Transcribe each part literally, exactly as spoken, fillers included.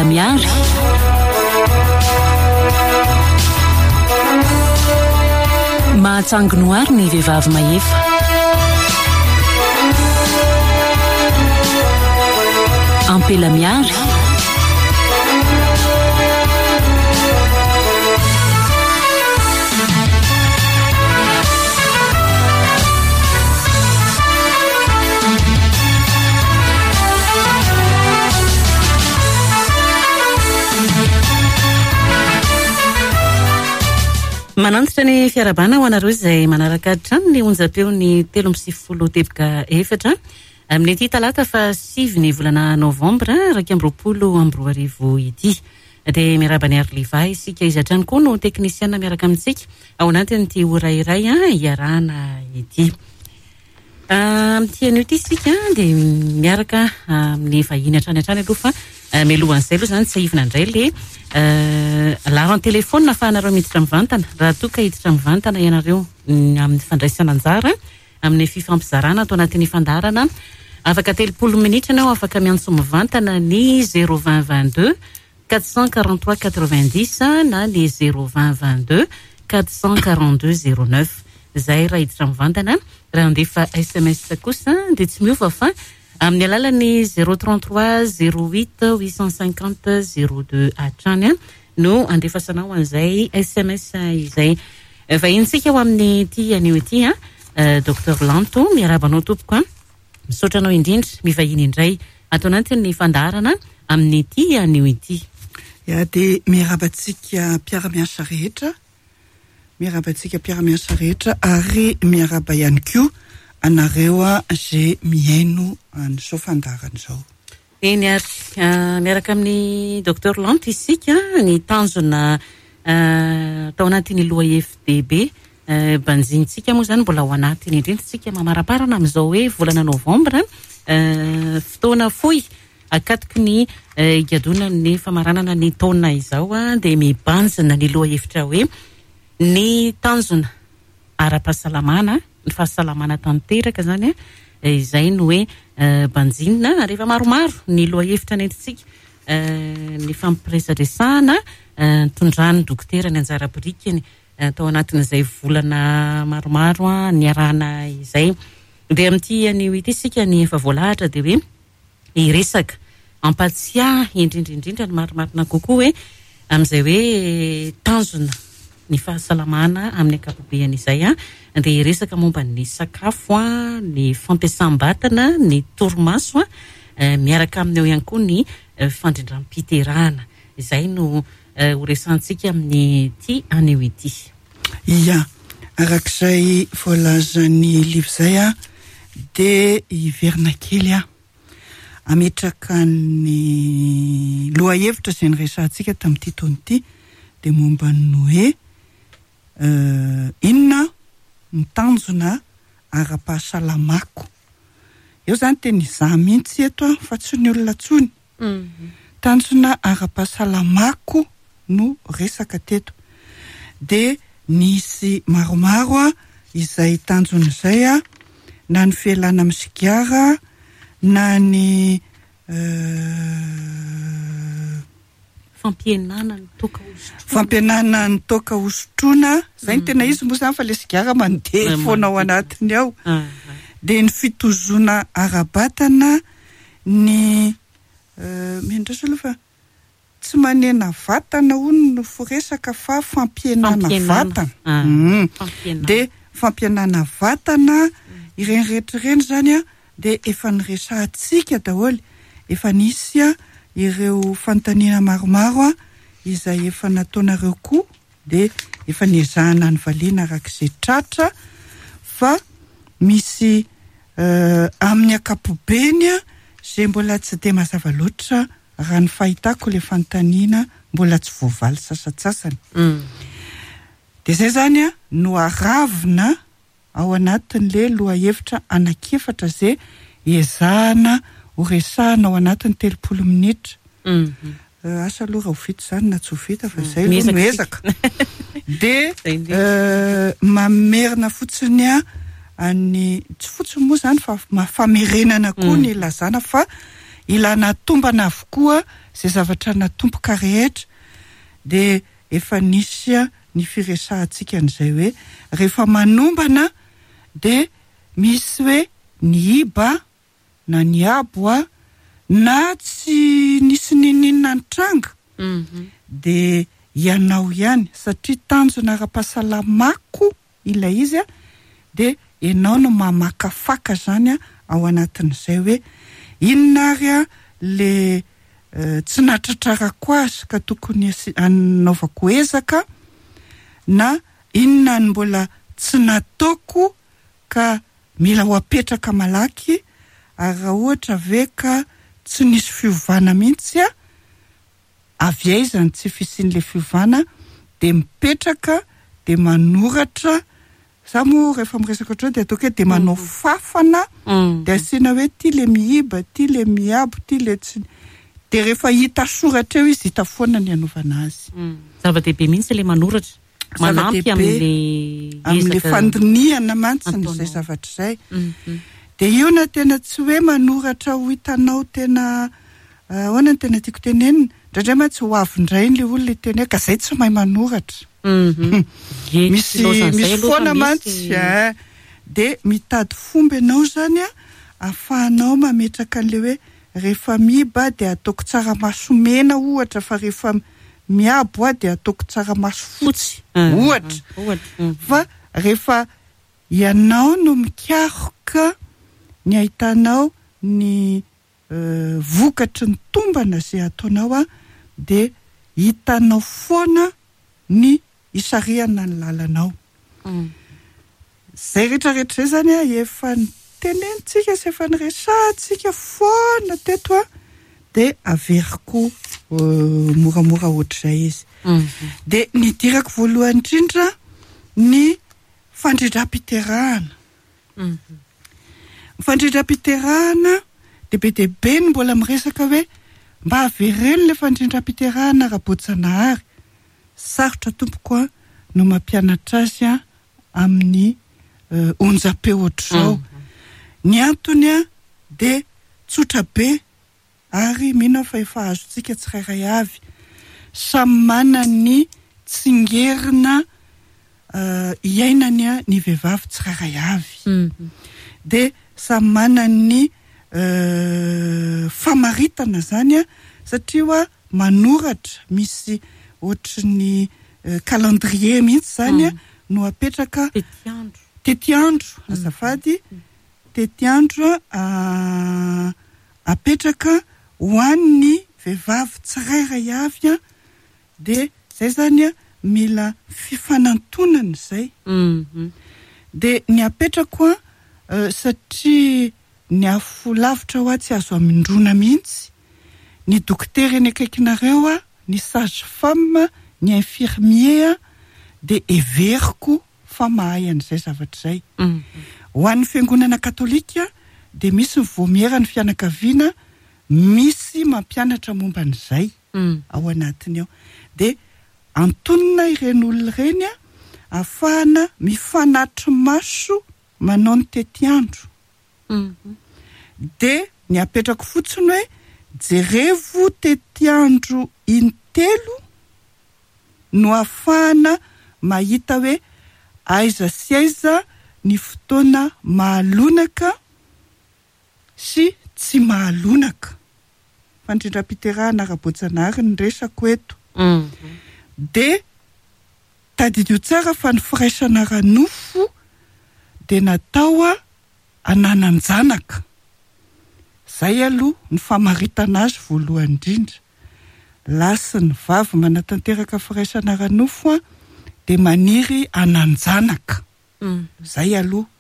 Ampela miary. Mahatsanginoary ny vehivavy mahefa. Ampela miary. Manantitra ny fiarahabana ho anareo izay manaraka hatrany ny onjam-peo ny telo amby sivifolo teboka efatra amin'ity talata fa sivy ny volana novambra iraika amby roapolo amby roa arivo ity. Dia miarahaba ny Arliva isika, izy hatrany koa no teknisiana miaraka amintsika ao anatin'ity ora iray iarahana ity. Amin'ity anio ity isika dia miaraka amin'ny vahiny hatrany hatrany aloha, fa mialohan'izay aloha izany tsiahivina indray le laharan-telefônina ahafahanareo miditra mivantana raha toa ka hiditra mivantana ianareo amin'ny fandraisana anjara amin'ny fifampizarana atao anatin'ny fandaharana. Afaka telopolo minitra ianao afaka miantso mivantana ny zéro vingt vingt-deux quatre cent quarante-trois quatre-vingt-dix na ny zéro vingt vingt-deux quatre cent quarante-deux zéro neuf. Izay raha hiditra mivantana. Raha handefa S M S kosa dia tsy miova fa amin'ny alalan'ny zéro trente-trois zéro huit huit cent cinquante zéro deux hatrany no andefasanao an'izay S M S izay. Vahintsika ho amin'ity anio ity, Docteur Lanto, miarahaba anao tompoko. Misaotra anao indrindra mivahiny indray ato anatin'ny fandaharana amin'ity anio ity. Ya, dia miarahaba antsika mpiara-miasa rehetra. Miarahaba antsika mpiara-miasa rehetra ary miarahaba ihany koa anareo izay mihaino an'izao fandaharana izao. Eny ary, miaraka amin'ny Docteur Lanto isika ny tanjona tao anatin'ny lohahevi-dehibe banjintsika moa izany mbola ao anatiny indrindra isika mamaraparana amin'izao hoe volana novambra, fotoana fohy akatoky ny higadonan'ny famaranana ny taona izao, dia mibanjina ny lohahevitra hoe ny tanjona ara-pahasalamana, ny fahasalamana tanteraka izany, izay no hoe banjinina. Ary efa maromaro ny lohahevitra nentintsika ny fampiresadresahana nitondran'ny dokotera ny anjara birikiny tao anatin'izay volana maromaro niarahana izay. Dia amin'ity anio ity isika ny efa voalahatra dia hoe hiresaka ampatsiahy indrindra indrindra ny marimarina kokoa hoe amin'izay hoe tanjona ny fahasalamana amin'ny ankapobeny izay, dia hiresaka momba ny sakafo, ny fampiasam-batana, ny torimaso, miaraka aminy eo ihany koa ny fandrindram-piterahana. Izay no ho resahantsika amin'ity anio ity. Ia, arak'izay voalazan'ny Liva izay, dia hiverina kely aho ametraka ny lohahevitra izay niresahantsika tamin'ity taona ity, dia momba ny hoe inona ny tanjona ara-pahasalamako. Eo izany tena izaho mihitsy eto fa tsy ny olona intsony. Tanjona ara-pahasalamako no resaka teto. Dia nisy maromaro izay tanjona izay, na ny fialana amin'ny sigara, na ny fampihenana ny toaka hosotroina. Fampihenana ny toaka hosotroina, izay no tena izy moa izany fa ilay sigara mandeha foana ao anatiny ao. Dia ny fitozoana ara-batana, ny miandrasa aloha fa tsy manena vatana hono no firesaka fa fampihenana vatana. Dia fampihenana vatana, ireny rehetra ireny izany dia efa niresahantsika daholo, efa nisy ireo fanontaniana maromaro izay efa nataonareo koa, dia efa niezahana nivaliana arak'izay tratra, fa misy amin'ny ankapobeny izay mbola tsy dia mazava loatra raha ny fahitako ilay fanontaniana mbola tsy voavaly sasantsasany. Dia izay izany no aravina ao anatin'ilay lohahevitra anankiefatra izay ezahana ho resahana ao anatin'ny telopolo minitra. Asa aloha raha ho vita izany na tsy ho vita fa izay aloha no ezaka. Dia mamerina fotsiny any, tsy fotsiny moa izany fa famerenana koa ny lazana fa Ilana tombana avokoa izay zavatra natomboka rehetra. Dia efa nisy ny firesahantsika an'izay hoe rehefa manombana dia misy hoe ny iba na ny abo a na tsy nisy nininona nitranga, dia ianao ihany satria tanjona ara-pahasalamako ilay izy a, dia ianao no mamakafaka zany a ao anatin'izay hoe inona ary a le tsy natratrarako azy ka tokony anaovako ezaka, na inona ny mbola tsy nataoko ka mila ho apetraka malaky, ary raha ohatra ve ka tsy nisy fiovana mihitsy a, avy aiza ny tsy fisian'ilay fiovana, dia mipetraka dia manoratra. Za moa rehefa miresaka ohatr'izao dia ataoko hoe dia manao fafana, dia asiana hoe ty le miiba, ty le miabo, ty le tsy, dia rehefa hita soratra eo izy hita foana ny anaovana azy. Zava-dehibe mihitsy ilay manoratra, manampy amin'ilay amin'ilay fandinihana mantsy izay zavatra izay. Dia io na tena tsy hoe manoratra ho hitanao tena ahoana ny tena tiako tenenina, indraindray mantsy ho avy indray ilay olona hiteny hoe ka izay tsy mahay manoratra. Misy misy foana mantsy, dia mitady fomba ianao zany a ahafahanao mametraka an'ilay hoe rehefa miiba dia ataoko tsaramaso mena ohatra, fa rehefa miabo a dia ataoko tsaramaso fotsy ohatra. Fa rehefa ianao no mikaroka ny ahitanao ny vokatry ny tombana izay ataonao a, dia hitanao foana ny isarihana ny lalanao. Izay rehetrarehetra izay zany a efa nitenenitsika sy efa niresahantsika foana teto a, dia averiko moramora ohatr'izay izy. Dia nidirako voalohany indrindra ny fandrindram-piterahana. Ny fandrindram-piterahana dia be dia be ny mbola miresaka hoe mba avereno ilay fandrindram-piterahana ara-boajanahary. Sarotra tompoko a no mampianatra azy a amin'ny onjam-peo ohatr'izao. Ny antony a dia tsotra be ary mino aho fa efa azontsika tsirairay avy. Samy manana ny tsingerina iainany a ny vehivavy tsirairay avy. Dia samy manana ny famaritana zany a, satria hoa manoratra misy ohatry ny calendrier mihitsy zany a no apetraka tetiandro, tetiandro azafady, tetiandro apetraka ho an'ny vehivavy tsirairay avy a. Dia zay zany a mila fifanantonana izay. Dia ny apetrako a, satria ny afo lavitra ho a tsy azo amindrona mihitsy, ny dokotera eny akaikinareo a, ny sage femme, ny infirmier a, dia heveriko fa mahay an'izay zavatra izay. Ho an'ny fiangonana katolika dia misy ny vomiera ny fianakaviana, misy mampianatra momba an'izay ao anatiny ao. Dia antonona ireny olona ireny a ahafahana mifanatri-maso manao ny tetiandro. Dia ny apetrako fotsiny hoe jerevo tetiandro intelo no ahafahana mahita hoe aiza sy aiza ny fotoana mahalonaka sy tsy mahalonaka. Fandrindram-piterahana ara-boajanahary ny resako eto. Dia tadidio tsara fa ny firaisana ara-nofo dia natao a ananan-janaka. Izay aloha ny famaritana azy voalohany indrindra. Lahy sy ny vavy manatanteraka firaisana ara-nofo a dia maniry anan-janaka. Izay aloha.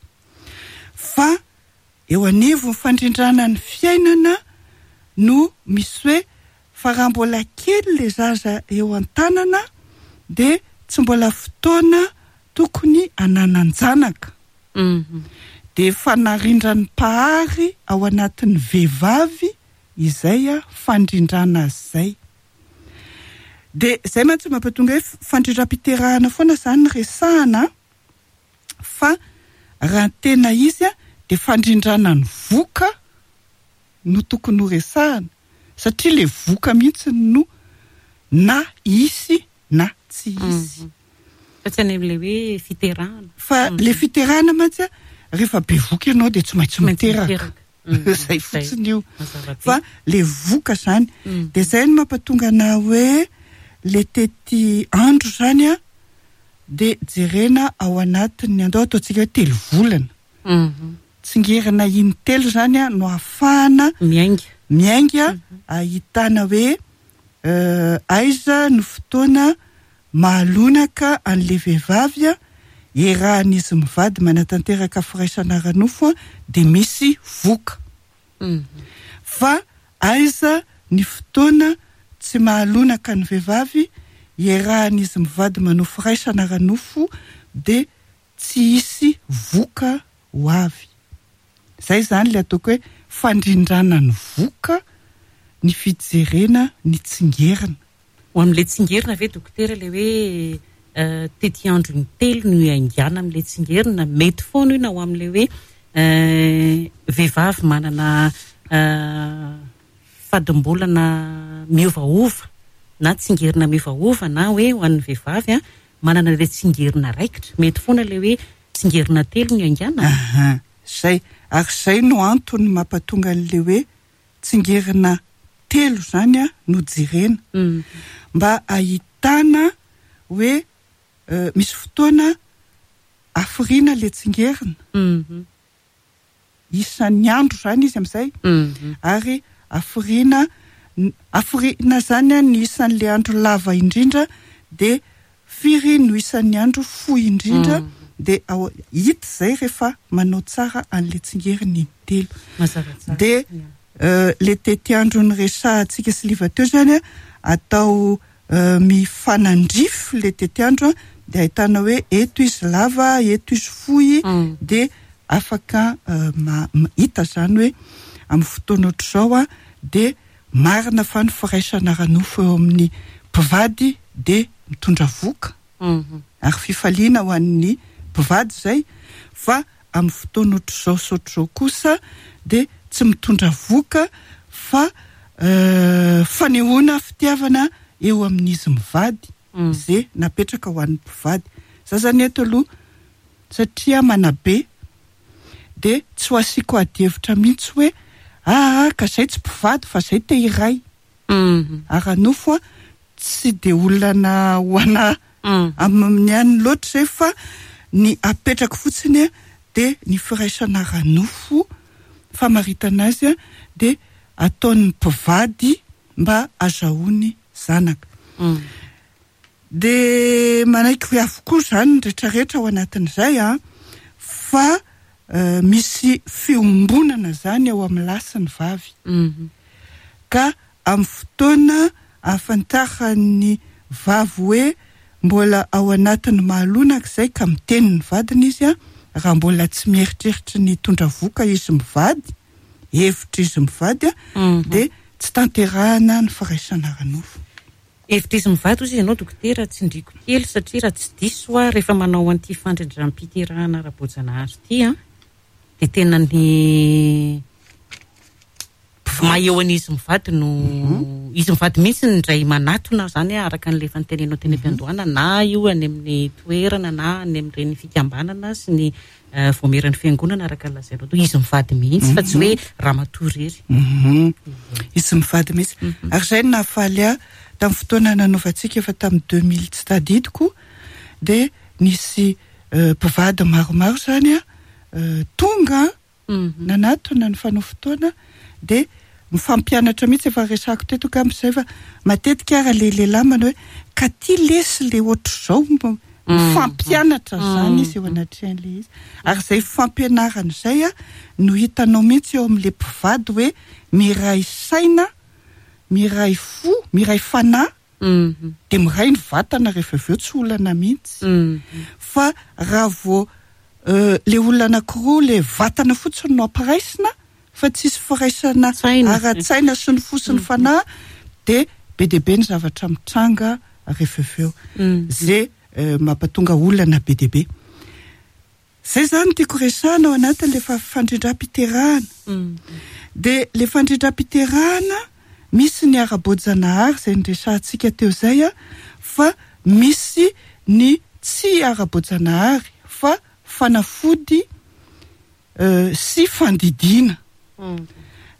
Fa eo anivon'ny fandrindrana ny fiainana no misy hoe fa raha mbola kely ilay zaza eo an-tanana dia tsy mbola fotoana tokony ananan-janaka. Dia efa narindran'ny mpahary ao anatin'ny vehivavy izay a fandrindrana azy izay. Dia izay mantsy mampatonga hoe fandrindram-piterahana foana izany ny resahana, fa raha tena izy a dia fandrindrana ny voka no tokony ho resahana, satria le voka mihitsy no na hisy na tsy hisy. Fa tsy any amin'ilay hoe fiterahana. Fa le fiterahana mantsy a, rehefa bevoka ianao dia tsy maintsy miteraka. Zay fotsiny io. Fa le voka zany, dia zay no mampatonga ana hoe le tety andro zany a, dia jerena ao anatin'ny andao ataontsika hoe telo volana. Tsingerina intelo zany a no ahafahana miainga. Miainga ahitana hoe aiza no fotoana mahalonaka an'le vehivavy a, iarahan'izy mivady manatanteraka firaisana ara-nofo a, dia misy voka. Fa aiza ny fotoana tsy mahalonaka ny vehivavy iarahan'izy mivady manao firaisana ara-nofo dia tsy hisy voka ho avy. Zay zany le ataoko hoe fandrindrana ny voka, ny fijerena ny tsingerina. Ho amin'ilay tsingerina ve dokotera le hoe tety andro intelo no iaingana amin'ilay tsingerina, mety foana io na ho amin'ilay hoe vehivavy manana fadimbolana miovaova na tsingerina miovaova, na hoe ho an'ny vehivavy a manana ilay tsingerina raikitra, mety foana ilay hoe tsingerina telo no iaingana. Aha, zay. Ary zay no antony mampatonga an'ilay hoe tsingerina telo zany a no jerena. Mba ahitana hoe misy fotoana afiriana le tsingerina. Isan'ny andro zany izy amin'izay. Ary afiriana, afiriana zany a ny isan'le andro lava indrindra, dia firy no isan'ny andro fohy indrindra, dia ao, hita izay rehefa manao tsara an'le tsingerina intelo. Mazava tsara. Dia le tetiandro niresahantsika sy liva teo zany a, atao mifanandrify le tetiandro a, dia ahitana hoe eto izy lava, eto izy fohy, dia afaka ma-, hita zany hoe amin'ny fotoana ohatr'izao a, dia marina fa ny firaisana ara-nofo eo amin'ny mpivady dia mitondra voka. Ary fifaliana ho an'ny mpivady izay, fa amin'ny fotoana ohatr'izao sy ohatr'izao kosa dia tsy mitondra voka fa fanehoana fitiavana eo amin'izy mivady, izay napetraka ho an'ny mpivady. Za zany eto aloha satria manabe dia tsy ho asiako adihevitra mihitsy hoe ah, ka zay tsy mpivady fa zay te hiray. Ara-nofo a, tsy dia olana ho ana amin'ny any loatra izay, fa ny apetrako fotsiny a dia ny firaisana ara-nofo famaritana azy a dia ataon'ny mpivady mba azahoany zanaka. Dia manaiky hoe avokoa zany ny rehetrarehetra ao anatin'izay a, fa misy fiombonana zany eo amin'ny lahy sy ny vavy. Ka amin'ny fotoana ahafantaran'ny vavy hoe mbola ao anatin'ny mahalonaka izay ka miteny ny vadiny izy a, raha mbola tsy mieritreritra ny hitondra voka izy mivady, hevitra izy mivady a, dia tsy tanterahana ny firaisana ara-nofo. Hevitra izy mivady hozy ianao dokotera, tsindriko kely satria raha tsy diso aho rehefa manao an'ity fandrindram-piterahana ara-boajanahary ity a, dia tena ny maha eo an'izy mivady no izy mivady mihitsy ny indray manatona zany a, araka an'ilay efa nitenenao teny am-piandohana, na io any amin'ny toerana na any amin'ireny fikambanana sy ny voameran'ny fiangonana araka ny lazainao teo, izy mivady mihitsy fa tsy hoe ramatoa irery. Izy mivady mihitsy. Ary izay no nahafaly ahy tamin'ny fotoana nanaovantsika efa tamin'ny deux mille tsy tadidiko, dia nisy mpivady maromaro zany a, tonga nanatona ny fanao fotoana, dia mifampianatra mihitsy. Efa resako teto ka amin'izay fa matetika ara le lehilahy manao hoe ka ty lesy le ohatr'izao, mifampianatra zany izy eo anatrehan'ilay izy. Ary izay fampianarana izay a no hitanao mihitsy eo amin'ilay mpivady hoe miray saina, miray fo, miray fanahy, dia miray ny vatana rehefa avy eo, tsy olana mihitsy. Fa raha vao le olona anankiroa le vatana fotsiny no ampiraisina fa tsisy firaisana ara-tsaina sy ny fo sy ny fanahy, dia be dia be ny zavatra mitranga rehefa avy eo. Zay mampatonga olana be dia be. Zay zany tiako resahana ao anatin'le fandrindram-piterahana. De le fandrindram-piterahana misy ny ara-boajanahary zay nresahantsika teo zay a, fa misy ny tsy ara-boajanahary fa fanafody sy fandidiana.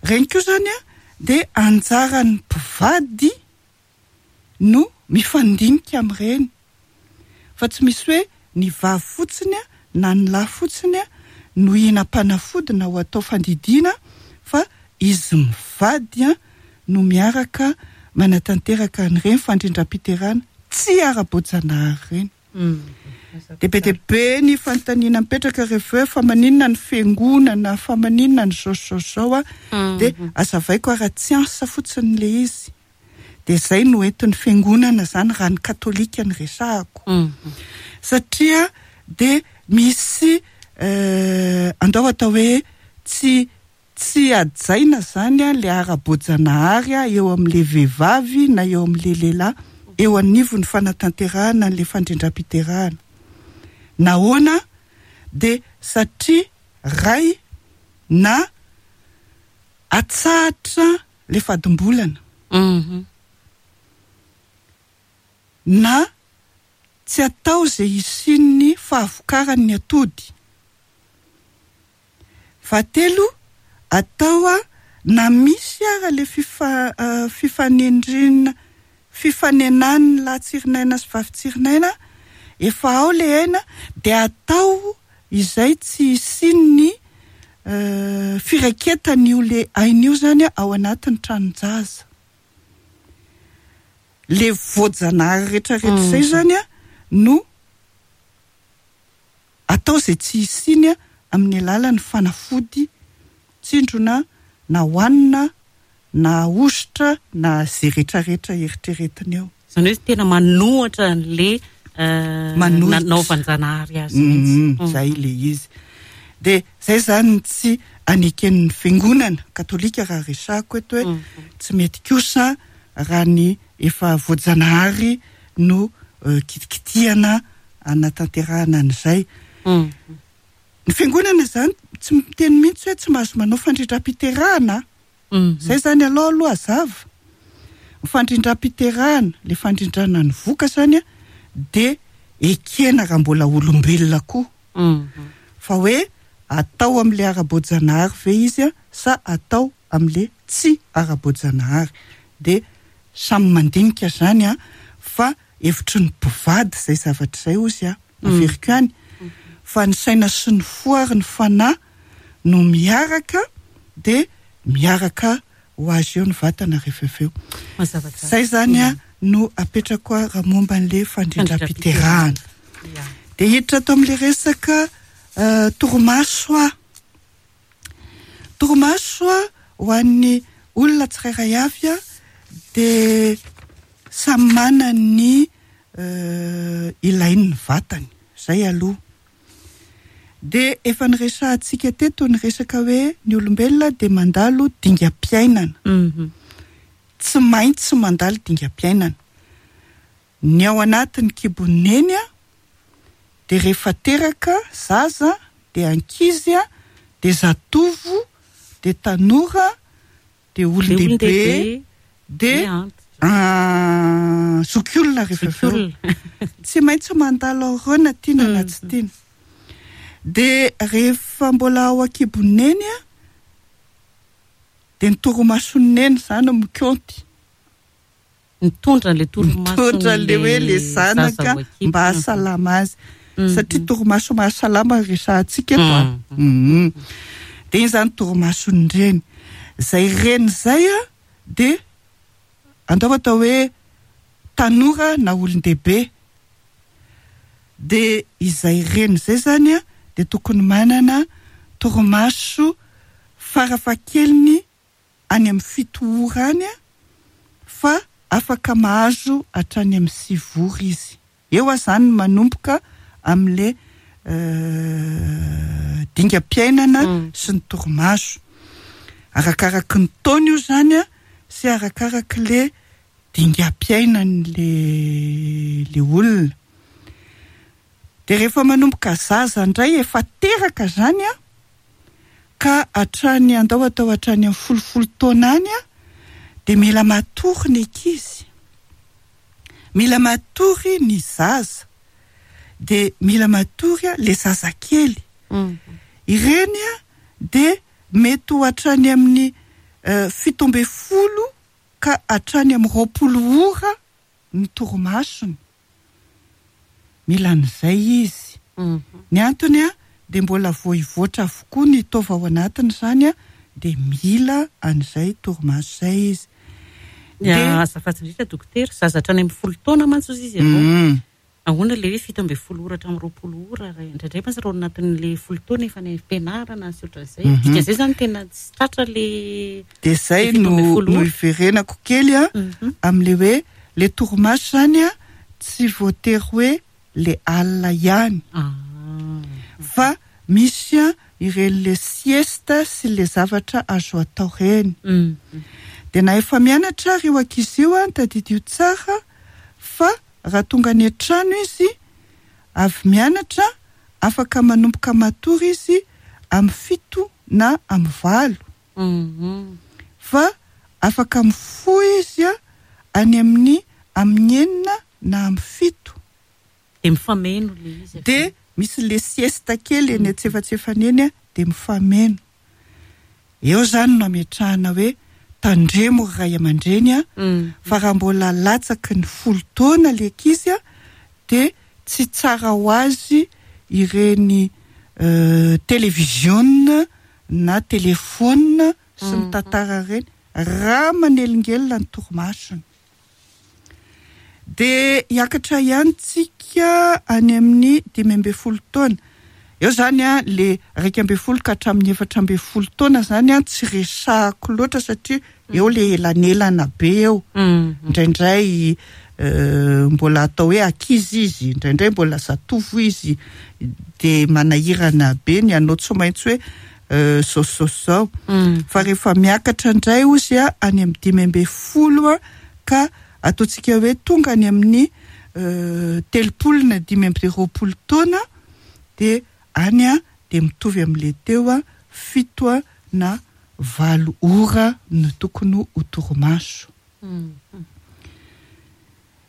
Reny koa zany a de anjaran'ny mpivady no mifandinika amin'ireny, fa tsy misy hoe ny vavy fotsiny a na ny lahy fotsiny a no hihinam-panafody na ho atao fandidiana, fa izy mivady a no miaraka manatanteraka an'ireny fandrindram-piterahana tsy ara-boajanahary ireny. De be dia be ny fanontaniana mipetraka rehefa hoe fa maninona ny fiangonana, fa maninona ny zao zao zao a, de azavaiko ara-tsiansa fotsiny le izy. De zay no entin'ny fiangonana zany raha ny katolika ny resahako. Satria de misy andao atao hoe tsy tsy hajaina zany a le ara-boajanahary a eo amin'le vehivavy na eo amin'le lehilahy eo anivon'ny fanatanterahana an'le fandrindram-piterahana. Nahoana? De satria ray na atsahatra le fadimbolana na tsy atao zay hisian'ny fahavokaran'ny atody. Fahatelo, atao a na misy ara le fifa- fifanendrena fifanenan'ny lahy tsirinaina sy vavy tsirinaina efa ao le aina, de atao izay tsy hisian'ny firaiketan'io le aina io zany ao anatin'ny tranon-jaza. Le voajanahary rehetrarehetra izay zany a no atao izay tsy hisiany a amin'ny alalan'ny fanafody tsindrona na hohanina na hosotra na izay rehetrarehetra eritreretina eo. Zany hoe tena manohatra an'le nanaovan-janahary azy mihitsy. Zay le izy. De zay zany tsy aneken'ny fiangonana katolika raha resahako eto hoe tsy mety kosa raha ny efa voajanahary no kitikitihana anatanterahana an'izay. Ny fiangonana zany tsy miteny mihitsy hoe tsy mahazo manao fandrindram-piterahana. Zay zany aloha aloha azava. Ny fandrindram-piterahana, le fandrindrana ny voka zany a de ekena raha mbola olombelona koa. Fa hoe atao amin'le ara-boajanahary ve izy a sa atao amin'le tsy ara-boajanahary. De samy mandinika zany a, fa hevitry ny mpivady zay zavatra izay ozy a, averiko ihany. Fa ny saina sy ny fo ary ny fanahy no miaraka, de miaraka ho azy eo ny vatana rehefa avy eo. Zay zany a no apetrako a raha momba an'le fandrindram-piterahana. De hiditra ato amin'le resaka torimaso a. Torimaso a ho an'ny olona tsirairay avy a de samy manana ny ilain'ny vatany. Zay aloha. De efa niresahantsika teto ny resaka hoe ny olombelona de mandalo dingam-piainana. Tsy maintsy mandalo dingam-piainana. Ny ao anatin'ny kibon'ny neny a de rehefa teraka zaza de ankizy a de zatovo de tanora de olon-dehibe de zokiolona rehefa avy eo. Tsy maintsy mandalo ao ireo na tiana na tsy tiana. De rehefa mbola ao an-kibon'ny neny a de ny torimason'ny neny zany mikaonty. Mitondra an'le torimaso, mitondra an'le hoe le zanaka mba hahasalama azy. Satria torimaso mahasalama resahantsika eto a. De iny zany torimason'ny reny. Zay reny zay a de andao atao hoe tanora na olon-dehibe. De izay reny zay zany a de tokony manana torimaso farafahakeliny any amin'ny fito ora any a, fa afaka mahazo hatrany amin'ny sivy ora izy. Eo a zany manomboka amin'le dingam-piainana sy ny torimaso. Arakaraky ny taona io zany a sy arakaraky le dingam-piainan'le le olona. De rehefa manomboka zaza indray efa teraka zany a, ka hatrany andao atao hatrany amin'ny folofolo taona any a, de mila matory ny ankizy, mila matory ny zaza, de mila matory a le zazakely. Ireny a de mety ho hatrany amin'ny fito amby folo ka hatrany amin'ny roapolo ora ny torimasony. Mila an'izay izy. Ny antony a de mbola voivoatra avokoa ny taova ao anatiny zany a, de mila an'izay torimaso zay izy. De azafady indrindra dokotera, zaza hatrany amin'ny folo taona mantsy izy izy ianao. Ahoana le hoe fito amby folo ora hatramin'ny roapolo ora, indraindray mantsy raha ao anatin'le folo taona efa any am-pianarana sy ohatran'izay. Dikan'izay zany tena tsy tratra le De zay no no iverenako kely a amin'le hoe le torimaso zany a tsy voatery hoe le alina ihany. Fa misy a ireny le sieste sy le zavatra azo atao reny. De na efa mianatra ary io ankizy io a, tadidio tsara fa raha tonga any an-trano izy avy mianatra, afaka manomboka matory izy amin'ny fito na amin'ny valo. Fa afaka mifoha izy a any amin'ny amin'ny enina na amin'ny fito. De mifameno le izy. De misy le sieste kely eny antsefatsefany eny a, de mifameno. Eo zany no ametrahana hoe tandremo ry ray aman-dreny a, fa raha mbola latsaky ny folo taona le ankizy a, de tsy tsara ho azy ireny télévision na téléphone sy ny tantara ireny raha manelingelina ny torimasony. De hiakatra ihany tsika any amin'ny dimy amby folo taona. Eo zany a le iraika amby folo ka hatramin'ny efatra amby folo taona zany a tsy resahako loatra satria eo le elanelana be eo. Indraindray mbola atao hoe ankizy izy, indraindray mbola zatovo izy, de manahirana be ny anao tsy maintsy hoe zao zao zao. Fa rehefa miakatra indray ozy a any amin'ny dimy amby folo a ka ataontsika hoe tonga any amin'ny telopolo na dimy amby roapolo taona, de any a de mitovy amin'le teo a fito a na valo ora no tokony ho torimaso.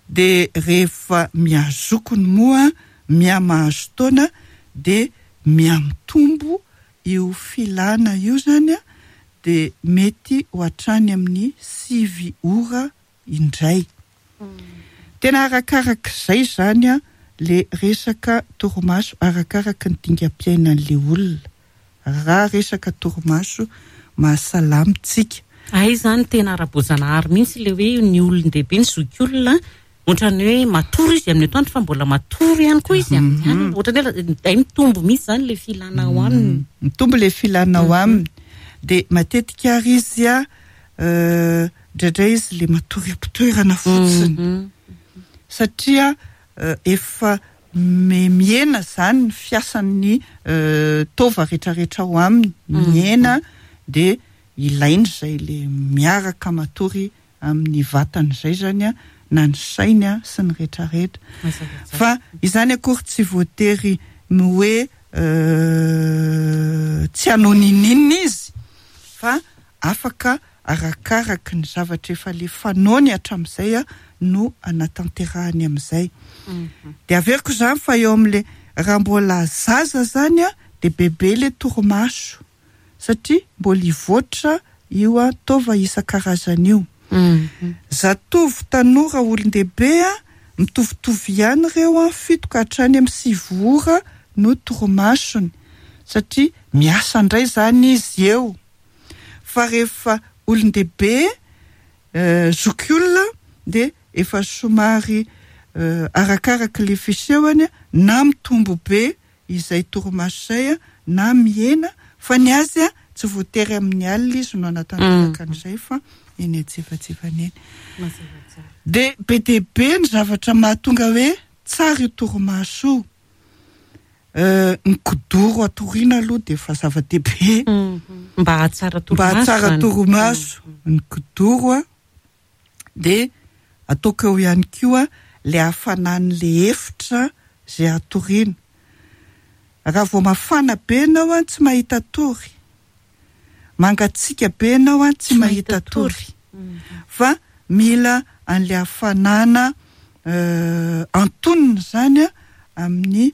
De rehefa mihazokony moa mihamahazo taona de mihamitombo io filana io zany a, de mety ho hatrany amin'ny sivy ora indray. Tena arakarak'izay zany a le resaka torimaso, arakaraky ny dingam-piainan'le olona. Raha resaka torimaso mahasalama tsika. Ay zany tena ara-boajanahary mihitsy le hoe ny olon-dehibe, ny zokiolona, ohatran'ny hoe matory izy amin'ny atoandro fa mbola matory ihany koa izy amin'ny alina. Ohatran'ny hoe ay mitombo mihitsy zany le filana ao aminy. Mitombo le filana ao aminy. De matetika ary izy a, indraindray izy le matory am-pitoerana fotsiny. Satria efa mihena zany ny fiasan'ny taova rehetrarehetra ao aminy. Mihena de ilainy izay le miaraka matory amin'ny vatany izay zany a, na ny sainy a sy ny rehetrarehetra. Fa izany akory tsy voatery ny hoe tsy hanao nininona izy, fa afaka arakaraky ny zavatra efa le fanaony hatramin'izay a no anatanterahany amin'izay. De averiko zany fa eo amin'le raha mbola zaza zany a de bebe le torimaso satria mbola hivoatra io a taova isan-karazany io. Zatovo tanora olon-dehibe a mitovitovy ihany ireo a fito ka hatrany amin'ny sivy ora no torimasony satria miasa indray zany izy eo. Fa rehefa olon-dehibe zokiolona de efa somary arakaraky le fisehony na mitombo be izay torimaso izay a na mihena, fa ny azy a tsy voatery amin'ny alina izy no anatanteraka an'izay fa eny antsefatsefany eny. De be dia be ny zavatra mahatonga hoe tsara io torimaso io. Ny kidoro atoriana aloha dia efa zava-dehibe. Mba hahatsara torimaso. Mba hahatsara torimaso ny kidoro a, de ataoko eo ihany koa le hafanan'le efitra izay atoriana. Raha vao mafana be ianao a, tsy mahita tory. Mangatsiaka be ianao a, tsy mahita tory. Fa mila an'le hafanana antonona zany a amin'ny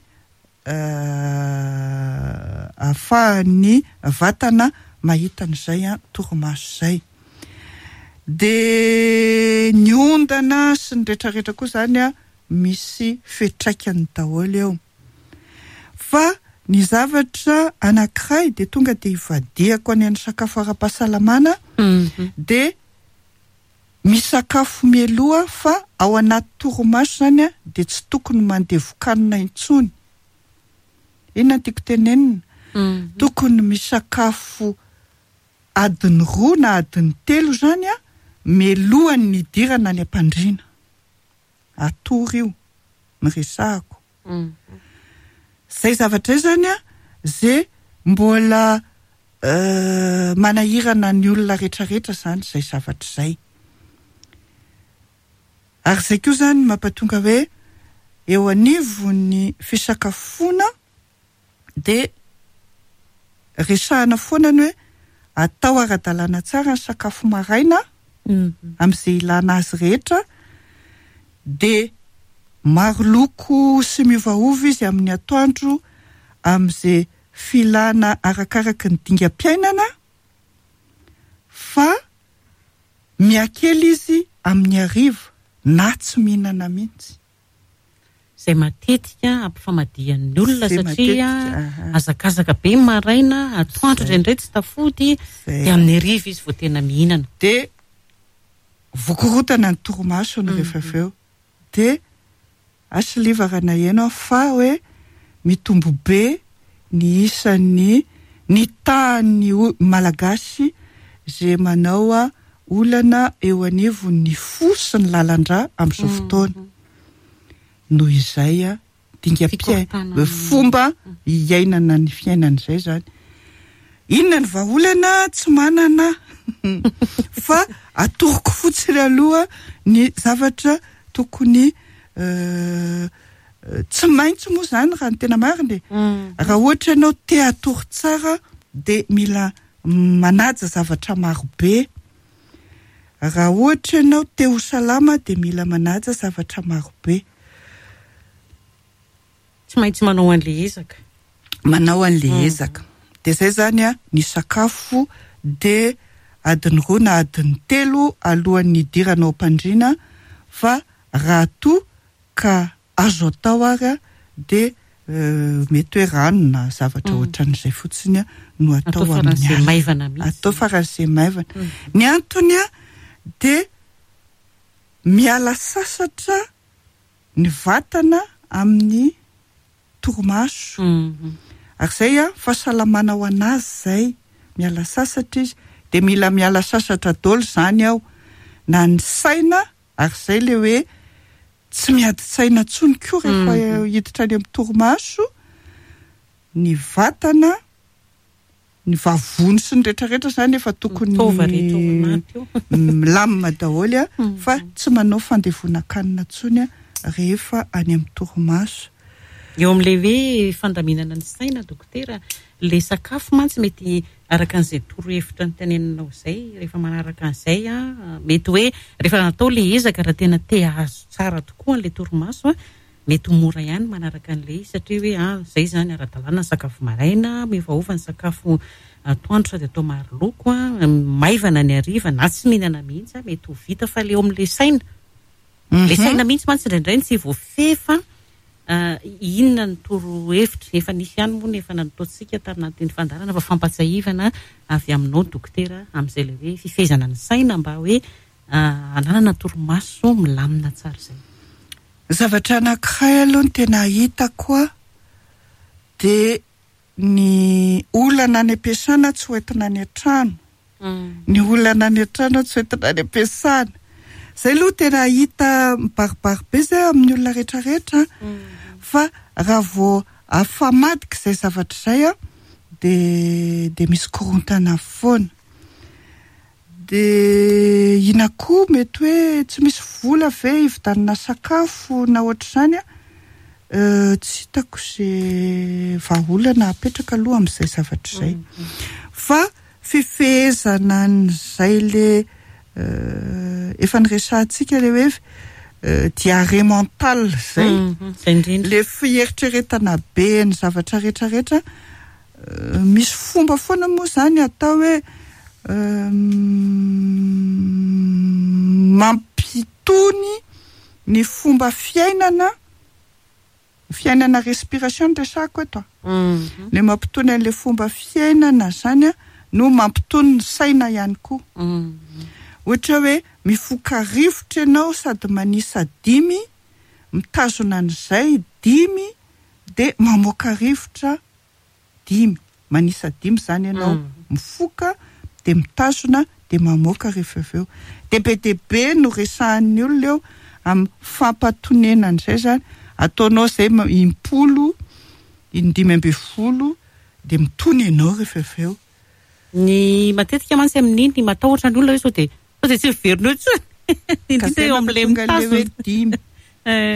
ahafahan'ny vatana mahita an'izay a torimaso zay. De ny ondana sy ny rehetrarehetra koa zany a misy fiantraikany daholo eo. Fa ny zavatra anankiray de tonga de ivadiako any amin'ny sakafo ara-pahasalamana, de misakafo mialoha, fa ao anaty torimaso zany a de tsy tokony mandevokanina intsony. Inona no tiako tenenina? Tokony misakafo adiny roa na adiny telo zany a mialohan'ny hidirana any am-pandriana. Atory io ny resahako. Zay zavatra izay zany a zay mbola manahirana ny olona rehetrarehetra zany zay zavatra izay. Ary zay koa zany mampatonga hoe eo anivon'ny fisakafoana de resahana foana ny hoe atao ara-dalàna tsara ny sakafo maraina amin'izay ilana azy rehetra, de maro loko sy miovaova izy amin'ny atoandro amin'izay filana arakaraky ny dingam-piainana, fa mihakely izy amin'ny hariva na tsy mihinana mihitsy. Izay matetika ampifamadihan'ny olona Izay satria matetika, aha. hazakazaka be maraina, atoandro Izay. indraindray tsy tafody, Izay. de amin'ny hariva izy vao tena mihinana. De vokorotana ny torimasony rehefa avy eo. De asilivarana eno fa hoe mitombo be ny isan'ny ny tahan'ny o-, Malagasy izay manao a olana eo anivon'ny fo sy ny lalan-drà amin'izao fotoana. Noho izay a dingam-piainana, Fikorontanana. fomba iainana ny fiainana izay zany. Inona ny vahaolana? Tsy manana. Fa atoroko fotsiny aloha ny zavatra tokony, euh, tsy maintsy moa zany raha ny tena marina e. Raha ohatra ianao te hatory tsara de mila manaja zavatra marobe. Raha ohatra ianao te ho salama de mila manaja zavatra marobe. Tsy maintsy manao an'le ezaka. Manao an'le ezaka. De zay zany a ny sakafo de adiny roa na adiny telo alohan'ny hidirana ao am-pandriana, fa raha toa ka azo atao ary a de, euh, mety hoe rano na zavatra Mm. ohatran'izay fotsiny a no atao Atao amin'ny faran'izay alina. maivana mihitsy. Atao faran'izay maivana. Mm. Ny antony a de miala sasatra ny vatana amin'ny torimaso. Mm. Ary zay a fahasalamana ho anazy zay, miala sasatra izy, de mila miala sasatra daholo zany ao, na ny saina, ary zay le hoe tsy miady saina intsony koa rehefa Mm. hiditra any amin'ny torimaso, ny vatana, ny vavony sy ny rehetrarehetra zany efa tokony Taova rehetra ao anaty io. milamina daholo a, Mm. fa tsy manao fandevonan-kanina intsony a rehefa any amin'ny torimaso. Eo amin'ilay hoe fandaminana ny saina, dokotera, le sakafo mantsy mety araka an'izay torohevitra niteneninao izay, rehefa manaraka an'izay a, mety hoe rehefa natao le ezaka raha tena te hahazo tsara tokoa an'ilay torimaso a, mety ho mora ihany manaraka an'ilay izy, satria hoe, ah, izay zany ara-dalàna ny sakafo maraina, miovaova ny sakafo atoandro sady atao maro loko a, maivana ny hariva na tsy mihinana mihitsy a, mety ho vita, fa le eo amin'ilay saina. Le saina mihitsy mantsy indraindray ny tsy voafehy, ah, inona ny torohevitra? Efa nisy ihany moa ny efa nataontsika tamin'ny fandaharana, fa fampatsiahivana avy aminao dokotera amin'izay ilay hoe fifehezana ny saina mba hoe, ah, hananana torimaso milamina tsara izay. Zavatra anankiray aloha ny tena hitako a, de ny olana any am-piasana tsy hoentina any an-trano. Ny olana any an-trano tsy hoentina any am-piasana. Zay aloha tena hita mibaribary be zay amin'ny olona rehetrarehetra, fa raha vao afamadika izay zavatra izay a, de, de misy korontana foana. De ina koa mety hoe tsy misy vola ve hividianana sakafo na ohatr'izany a, Tsy hitako izay vahaolana apetraka aloha amin'izay zavatra izay. Fa fifehezana an'izay le efa niresahantsika le hoe diarrhée mentale zay, le fieritreretana be ny zavatra rehetrarehetra. Misy fomba foana moa zany atao hoe mampitony ny fomba fiainana, fiainana respiration no resahako eto. Le mampitony an'le fomba fiainana zany no mampitony ny saina ihany koa. Ohatra hoe mifoka rivotra ianao sady manisa dimy, mitazona an'izay dimy, dia mamoaka rivotra dimy. Manisa dimy zany ianao, mifoka dia mitazona dia mamoaka rehefa avy eo. Dia be dia be no resahan'ny olona eo amin'ny fampatonena an'izay zany. Ataonao izay impolo, indimy amby folo, dia mitony ianao rehefa avy eo. Ny matetika mantsy amin'iny ny matahotra ny olona hoe sao dia sao dia tsy miverina eo intsony. Indrindra eo amin'ilay mitazona. Dimy.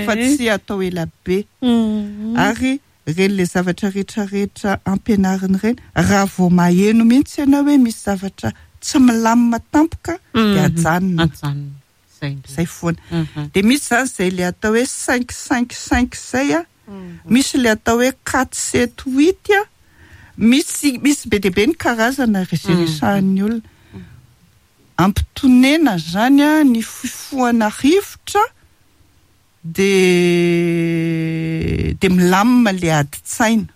Fa tsy atao ela be. Ary ireny le zavatra rehetrarehetra ampianarina ireny, raha vao maheno mihitsy ianao hoe misy zavatra tsy milamina tampoka, dia ajanona. Ajanona. Zay indrindra. Zay foana. Dia misy zany izay le atao hoe cinq cinq cinq zay a. Misy le atao hoe quatre sept huit a. Misy, misy be dia be ny karazana izay resahan'ny olona. Ampitonena zany a ny fifohana rivotra, dia, dia milamina le adin-tsaina.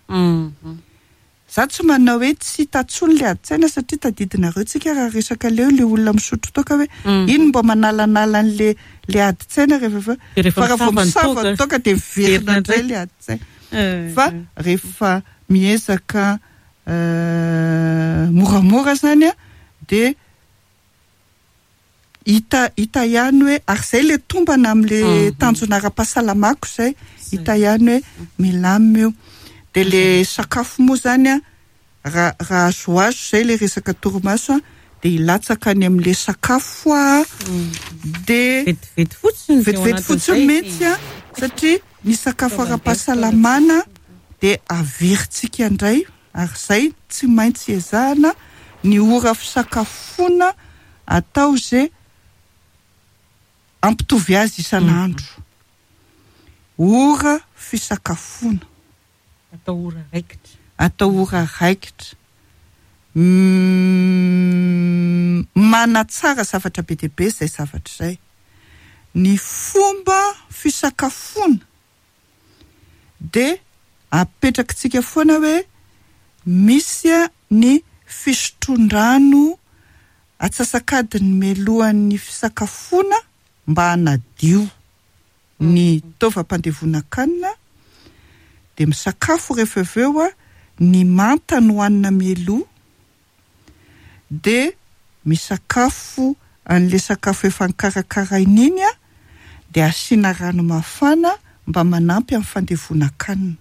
Za tsy manao hoe tsy hita intsony le adin-tsaina satria tadidinareo tsika raha resaka leo le olona misotro toaka hoe iny mba manalanala an'le le adin-tsaina rehefa avy eo. Dia rehefa Fa raha vao misava ny misava ny toaka, toaka dia miverina indray le adin-tsaina. Fa rehefa miezaka moramora zany a, dia hita, hita ihany hoe, ary izay le tombana amin'le tanjona ara-pahasalamako izay, hita ihany hoe milamina io. Dia le sakafo moa zany a, raha, raha azoazo izay le resaka torimaso a, dia hilatsaka any amin'le sakafo a, dia Vetivety fotsiny teo vetivety anatin'izay. fotsiny mihitsy a, satria ny sakafo ara-pahasalamana dia averintsika indray, ary izay tsy maintsy ezahana ny ora fisakafoana atao izay ampitovy azy isan'andro. Ora fisakafoana. Atao ora raikitra. Atao ora raikitra. Mm, manatsara zavatra be dia be izay zavatra izay. Ny fomba fisakafoana dia apetrakitsika foana hoe misy ny fisotroan-drano atsasak'adiny mialohan'ny fisakafoana mba hanadio ny taovam-pandevonan-kanina, dia misakafo rehefa avy eo a, ny manta no hanina mialoha, dia misakafo an'ilay sakafo efa nokarakaraina iny a, dia asiana rano mafana mba manampy amin'ny fandevonan-kanina.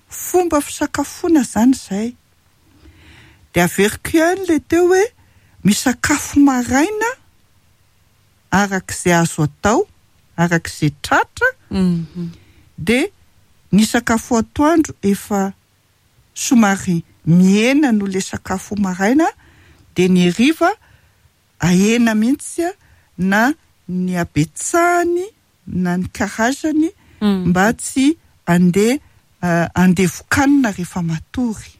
Fomba fisakafoana zany izay. Dia averiko ihany ilay teo hoe misakafo maraina arak'izay azo atao, arak'izay tratra, dia ny sakafo atoandro efa somary mihena noho ilay sakafo maraina, dia ny hariva ahena mihitsy a, na ny habetsahany na ny karazany mba tsy andeha, andevokanina rehefa matory.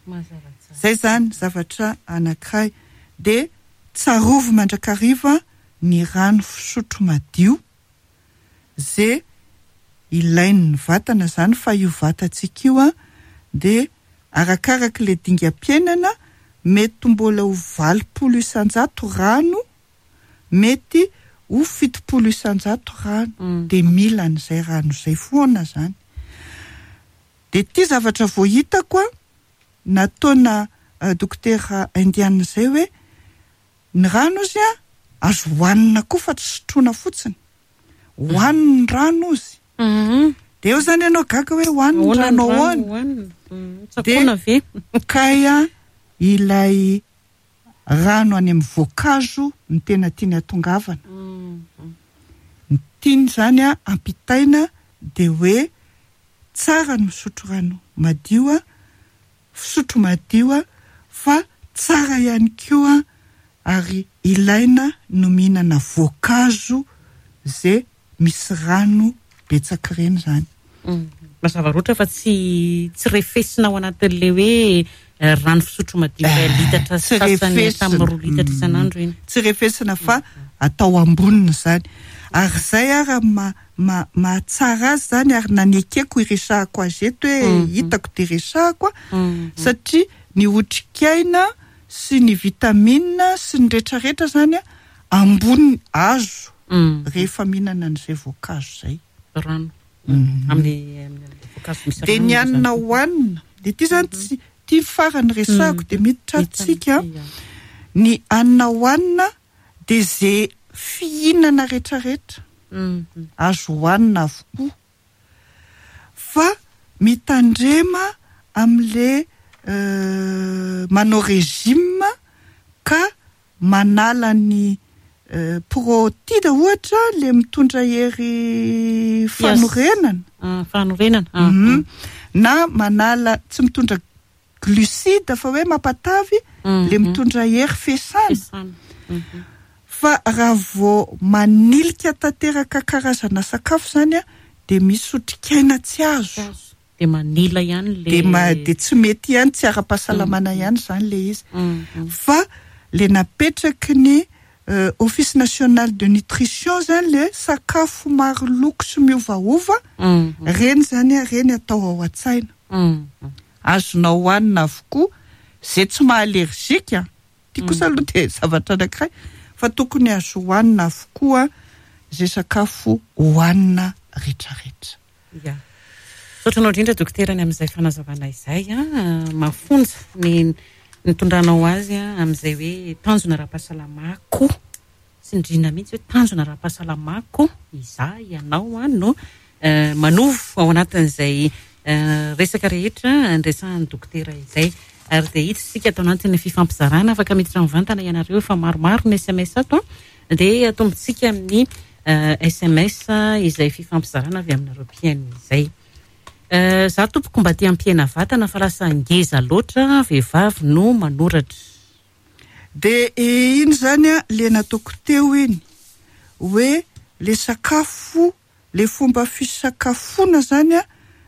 Mazava tsara. Zay zany zavatra anankiray. Dia tsarovy mandrakariva ny rano fisotro madio zay ilain'ny vatana zany, fa io vatantsika io a dia arakaraka ilay dingam-piainana mety mbola ho valopolo isanjato rano, mety ho fitopolo isanjato rano. Dia mila an'izay rano izay foana zany. Dia ity zavatra vao hitako a, nataona dokotera indiana izay hoe ny rano izy a azo hohanina koa fa tsy sotroina fotsiny. Hohanina ny rano izy. Dia eo zany ianao gaga hoe hohanina ny Ahoana ny rano rano ahoana? hohanina? Tsakoana ve? Kay a, ilay rano any amin'ny voankazo no tena tiany hatongavana. Ny tiany zany a ampitaina de hoe tsara ny misotro rano madio a, fisotro madio a, fa tsara ihany koa ary ilaina no mihinana voankazo zay misy rano betsaka ireny zany. Mazava loatra fa tsy tsy refesina ao anatin'le hoe rano fisotro madio iray litatra Tsy sasany refesina. tamin'ny roa litatra isan'andro iny. Tsy refesina fa atao amboniny zany. Ary zay ara ma, ma, mahatsara azy zany, ary nanekeko iresahako azy eto hoe hitako de resahako a, satria ny otrikaina sy ny vitamine sy ny rehetrarehetra zany a amboniny azo rehefa mihinana an'izay voankazo zay. Rano. Amin'ny amin'ny voankazo misy De ny rano hanina zany. hohanina, de ty zany tsy ty farany resahako de miditra atsika. Ny hanina hohanina de ze fihinana rehetrarehetra azo hohanina avokoa, fa mitandrema amin'le euh, manao régime ka manala ny euh, protide ohatra le mitondra hery fanorenana. Ah, fanorenana. Ah, Mhm. Na manala tsy mitondra glucide fa hoe mampatavy Mhm. le mitondra hery fesana. Fesana. Mhm. Fa raha vao manilika tanteraka karazana sakafo zany a, de misy otrikaina tsy azo. De manila ihany le De ma-, de tsy mety ihany, tsy ara-pahasalamana ihany zany le izy. Mhm. Fa le napetraky ny, euh, Office national de nutrition zany le sakafo maro loko sy miovaova, Mhm. reny zany a, reny atao ao an-tsaina. Mhm. Azonao hohanina avokoa zay tsy maha-allergique. Ty kosa aloha de zavatra anankiray, fa tokony azo hohanina avokoa zay sakafo hohanina rehetrarehetra. Ya. Misaotra anao indrindra dokotera ny amin'izay fanazavana izay a, mafonja ny nitondranao azy a, amin'izay hoe tanjona ara-pahasalamako. Tsindrina mihitsy hoe tanjona ara-pahasalamako izaho ianao a no, eh, manovo ao anatin'izay, eh, resaka rehetra andresahan'ny dokotera izay. Ary dia hiditra isika ato anatin'ny fifampizarana, afaka miditra mivantana ianareo efa maromaro ny S M S ato a. Dia atombontsika amin'ny, eh, S M S izay fifampizarana avy aminareo mpihaino izay. Eh, za tompoko mba te hampihena vatana fa lasa ngeza loatra, vehivavy no manoratra. De iny zany a, le nataoko teo iny hoe le sakafo, le fomba fisakafoana zany a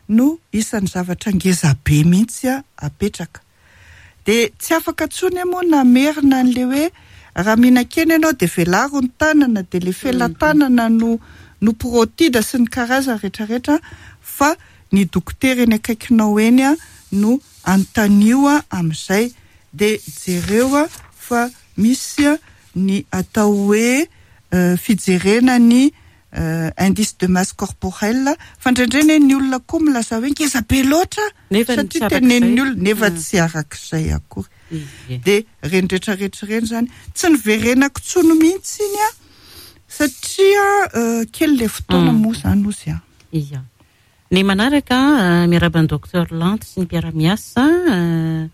no isan'ny zavatra ngeza be mihitsy a apetraka. De tsy afaka intsony moa namerina an'le hoe raha mihinan-kena ianao de velaro ny tanana, de le felatanana no, no protida sy ny karazany rehetrarehetra, fa ny dokotera eny akaikinao eny a no anontanio a amin'izay. De jereo a fa misy a ny atao hoe, euh, fijerena ny, euh, indice de masse corporelle, fa indraindray anie ny olona koa milaza hoe ngeza be loatra, Nefa ny satria tsy arak'izay. tenenin'ny olona, nefa Mm. tsy arak'izay akory. Ie. De reny rehetrarehetra ireny zany tsy niverenako intsony mihitsy iny a, satria, euh, kely le fotoana Mm. moa zany ozy a. Ia. Ny manaraka, euh, miarahaba ny docteur Lanto sy ny mpiara-miasa, euh,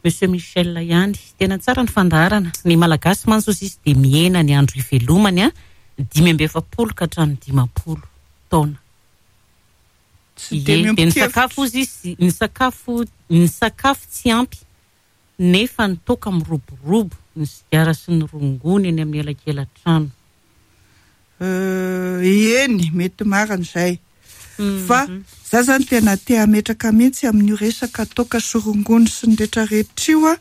Monsieur Michel ihany. Tena tsara ny fandaharana. Ny Malagasy mantsy ozy izy dia mihena ny andro ivelomany a, dimy amby efapolo ka hatramin'ny dimampolo taona. Tsy Ie, de dia ny miombon-kevitra. sakafo ozy izy, ny sakafo, ny sakafo tsy ampy, nefa ny toaka miroborobo, ny sigara sy ny rongony eny amin'ny elakela-trano. Euh, eny, mety marina izay. Mhm. Fa za zany tena te hametraka mihitsy amin'io resaka toaka sy rongony sy ny rehetrarehetra io a,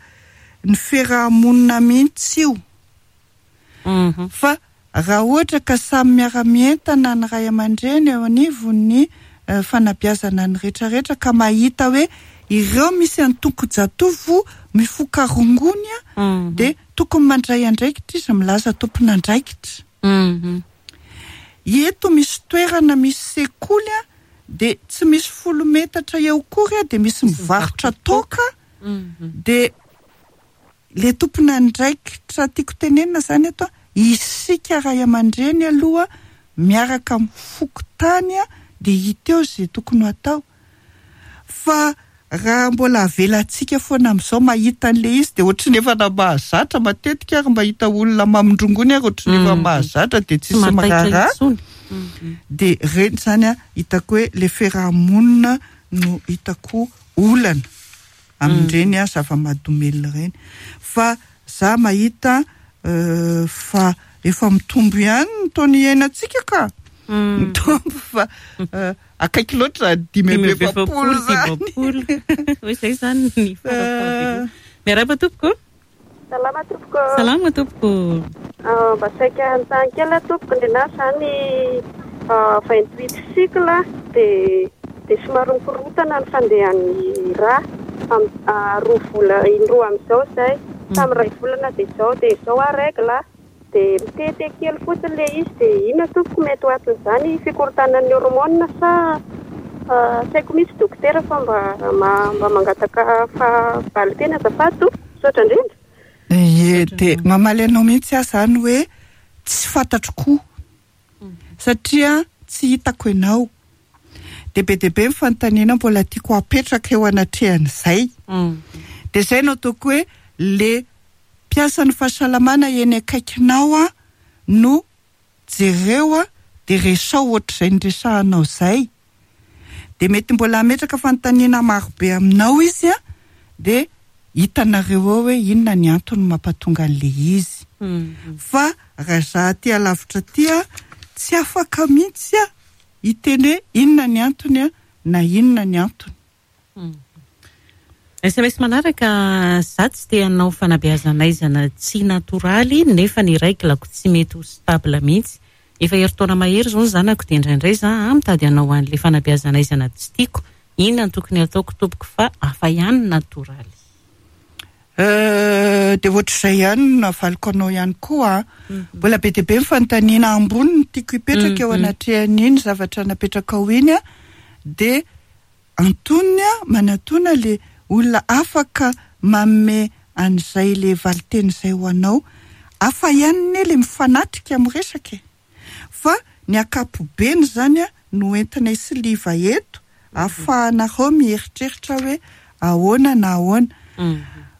ny fiarahamonina mihitsy io. Mhm. Fa raha ohatra ka samy miara-mientana ny ray aman-dreny eo anivon'ny, eh, fanabeazana ny rehetrarehetra ka mahita hoe ireo misy antoko-jatovo mifoka rongony a, Mhm. dia tokony mandray andraikitra izy, milaza tompon'andraikitra. Mhm. Eto misy toerana misy sekoly a, dia tsy misy folo metatra eo akory a, dia misy mivarotra toaka. Mhm. Dia le tompon'andraikitra tiako tenenina zany eto a, isika ray aman-dreny aloha miaraka amin'ny fokontany a, dia hita eo izay tokony ho atao. Fa raha mbola avelantsika foana amin'izao mahita an'le izy, dia ohatry ny efa na mahazatra matetika ary mahita olona mamindrongony ary ohatry ny efa Mm. mahazatra, dia tsisy Tsy mahataitra miraharaha. intsony. De reny zany a hitako hoe le fiarahamonina no hitako olana amin'ireny a zava-mahadomelina ireny. Fa za mahita fa efa mitombo ihany ny taona iainantsika ka. Mitombo fa akaiky loatra dimy amby efapolo zany. Hoe zay zany ny fara-fahavelomana. Miarahaba tompoko. Salama tompoko. Salama tompoko. Mba saika hanontany kely aho tompoko, ny anahy zany vingt-huit cycle dia dia somary mikorotana ny fandehan'ny rà roa vola indroa amin'izao izay, tamin'ny iray volana dia izao dia izao aho règle dia mitete kely fotsiny ilay izy dia inona tompoko mety ho aton'izany fikorontanan'ny hormone sa tsy haiko mihitsy dokotera fa mba mba mangataka valin-teny azafady tompoko, misaotra indrindra. Ie, dia mamaly anao mihitsy aho zany hoe tsy fantatro koa satria tsy hitako ianao. Dia be dia be ny fanontaniana mbola tiako apetraka eo anatrehan'izay. Dia izay no ataoko hoe le mpiasan'ny fahasalamana eny akaikinao a no jereo a dia resao ohatr'izay niresahanao izay. Dia mety mbola hametraka fanontaniana marobe aminao izy a dia hitanareo eo hoe inona ny antony mampatonga an'ilay izy. Fa raha za aty alavitra aty a tsy afaka mihitsy a hiteny hoe inona ny antony a na inona ny antony. S M S manaraka, za tsy te hanao fanabeazana tsy natoraly nefa ny règle-ko tsy mety ho stable mihitsy. Efa herintaona mahery izao ny zanako dia indraindray za mitady hanao an'ilay fanabeazana tsy tiako. Inona no tokony hataoko tompoko fa hafa ihany ny natoraly? Dia ohatr'izay ihany no navaliko anao ihany koa. Mbola be dia be ny fanontaniana ambony no tiako hipetraka eo anatrehan'iny zavatra napetrakao iny a dia antonony a manatona le olona afaka manome an'izay le valinteny izay ho anao. Hafa ihany ne le mifanatrika miresaka e. Fa ny ankapobeny zany a no entinay sy liva eto ahafahanareo mieritreritra hoe ahoana na ahoana.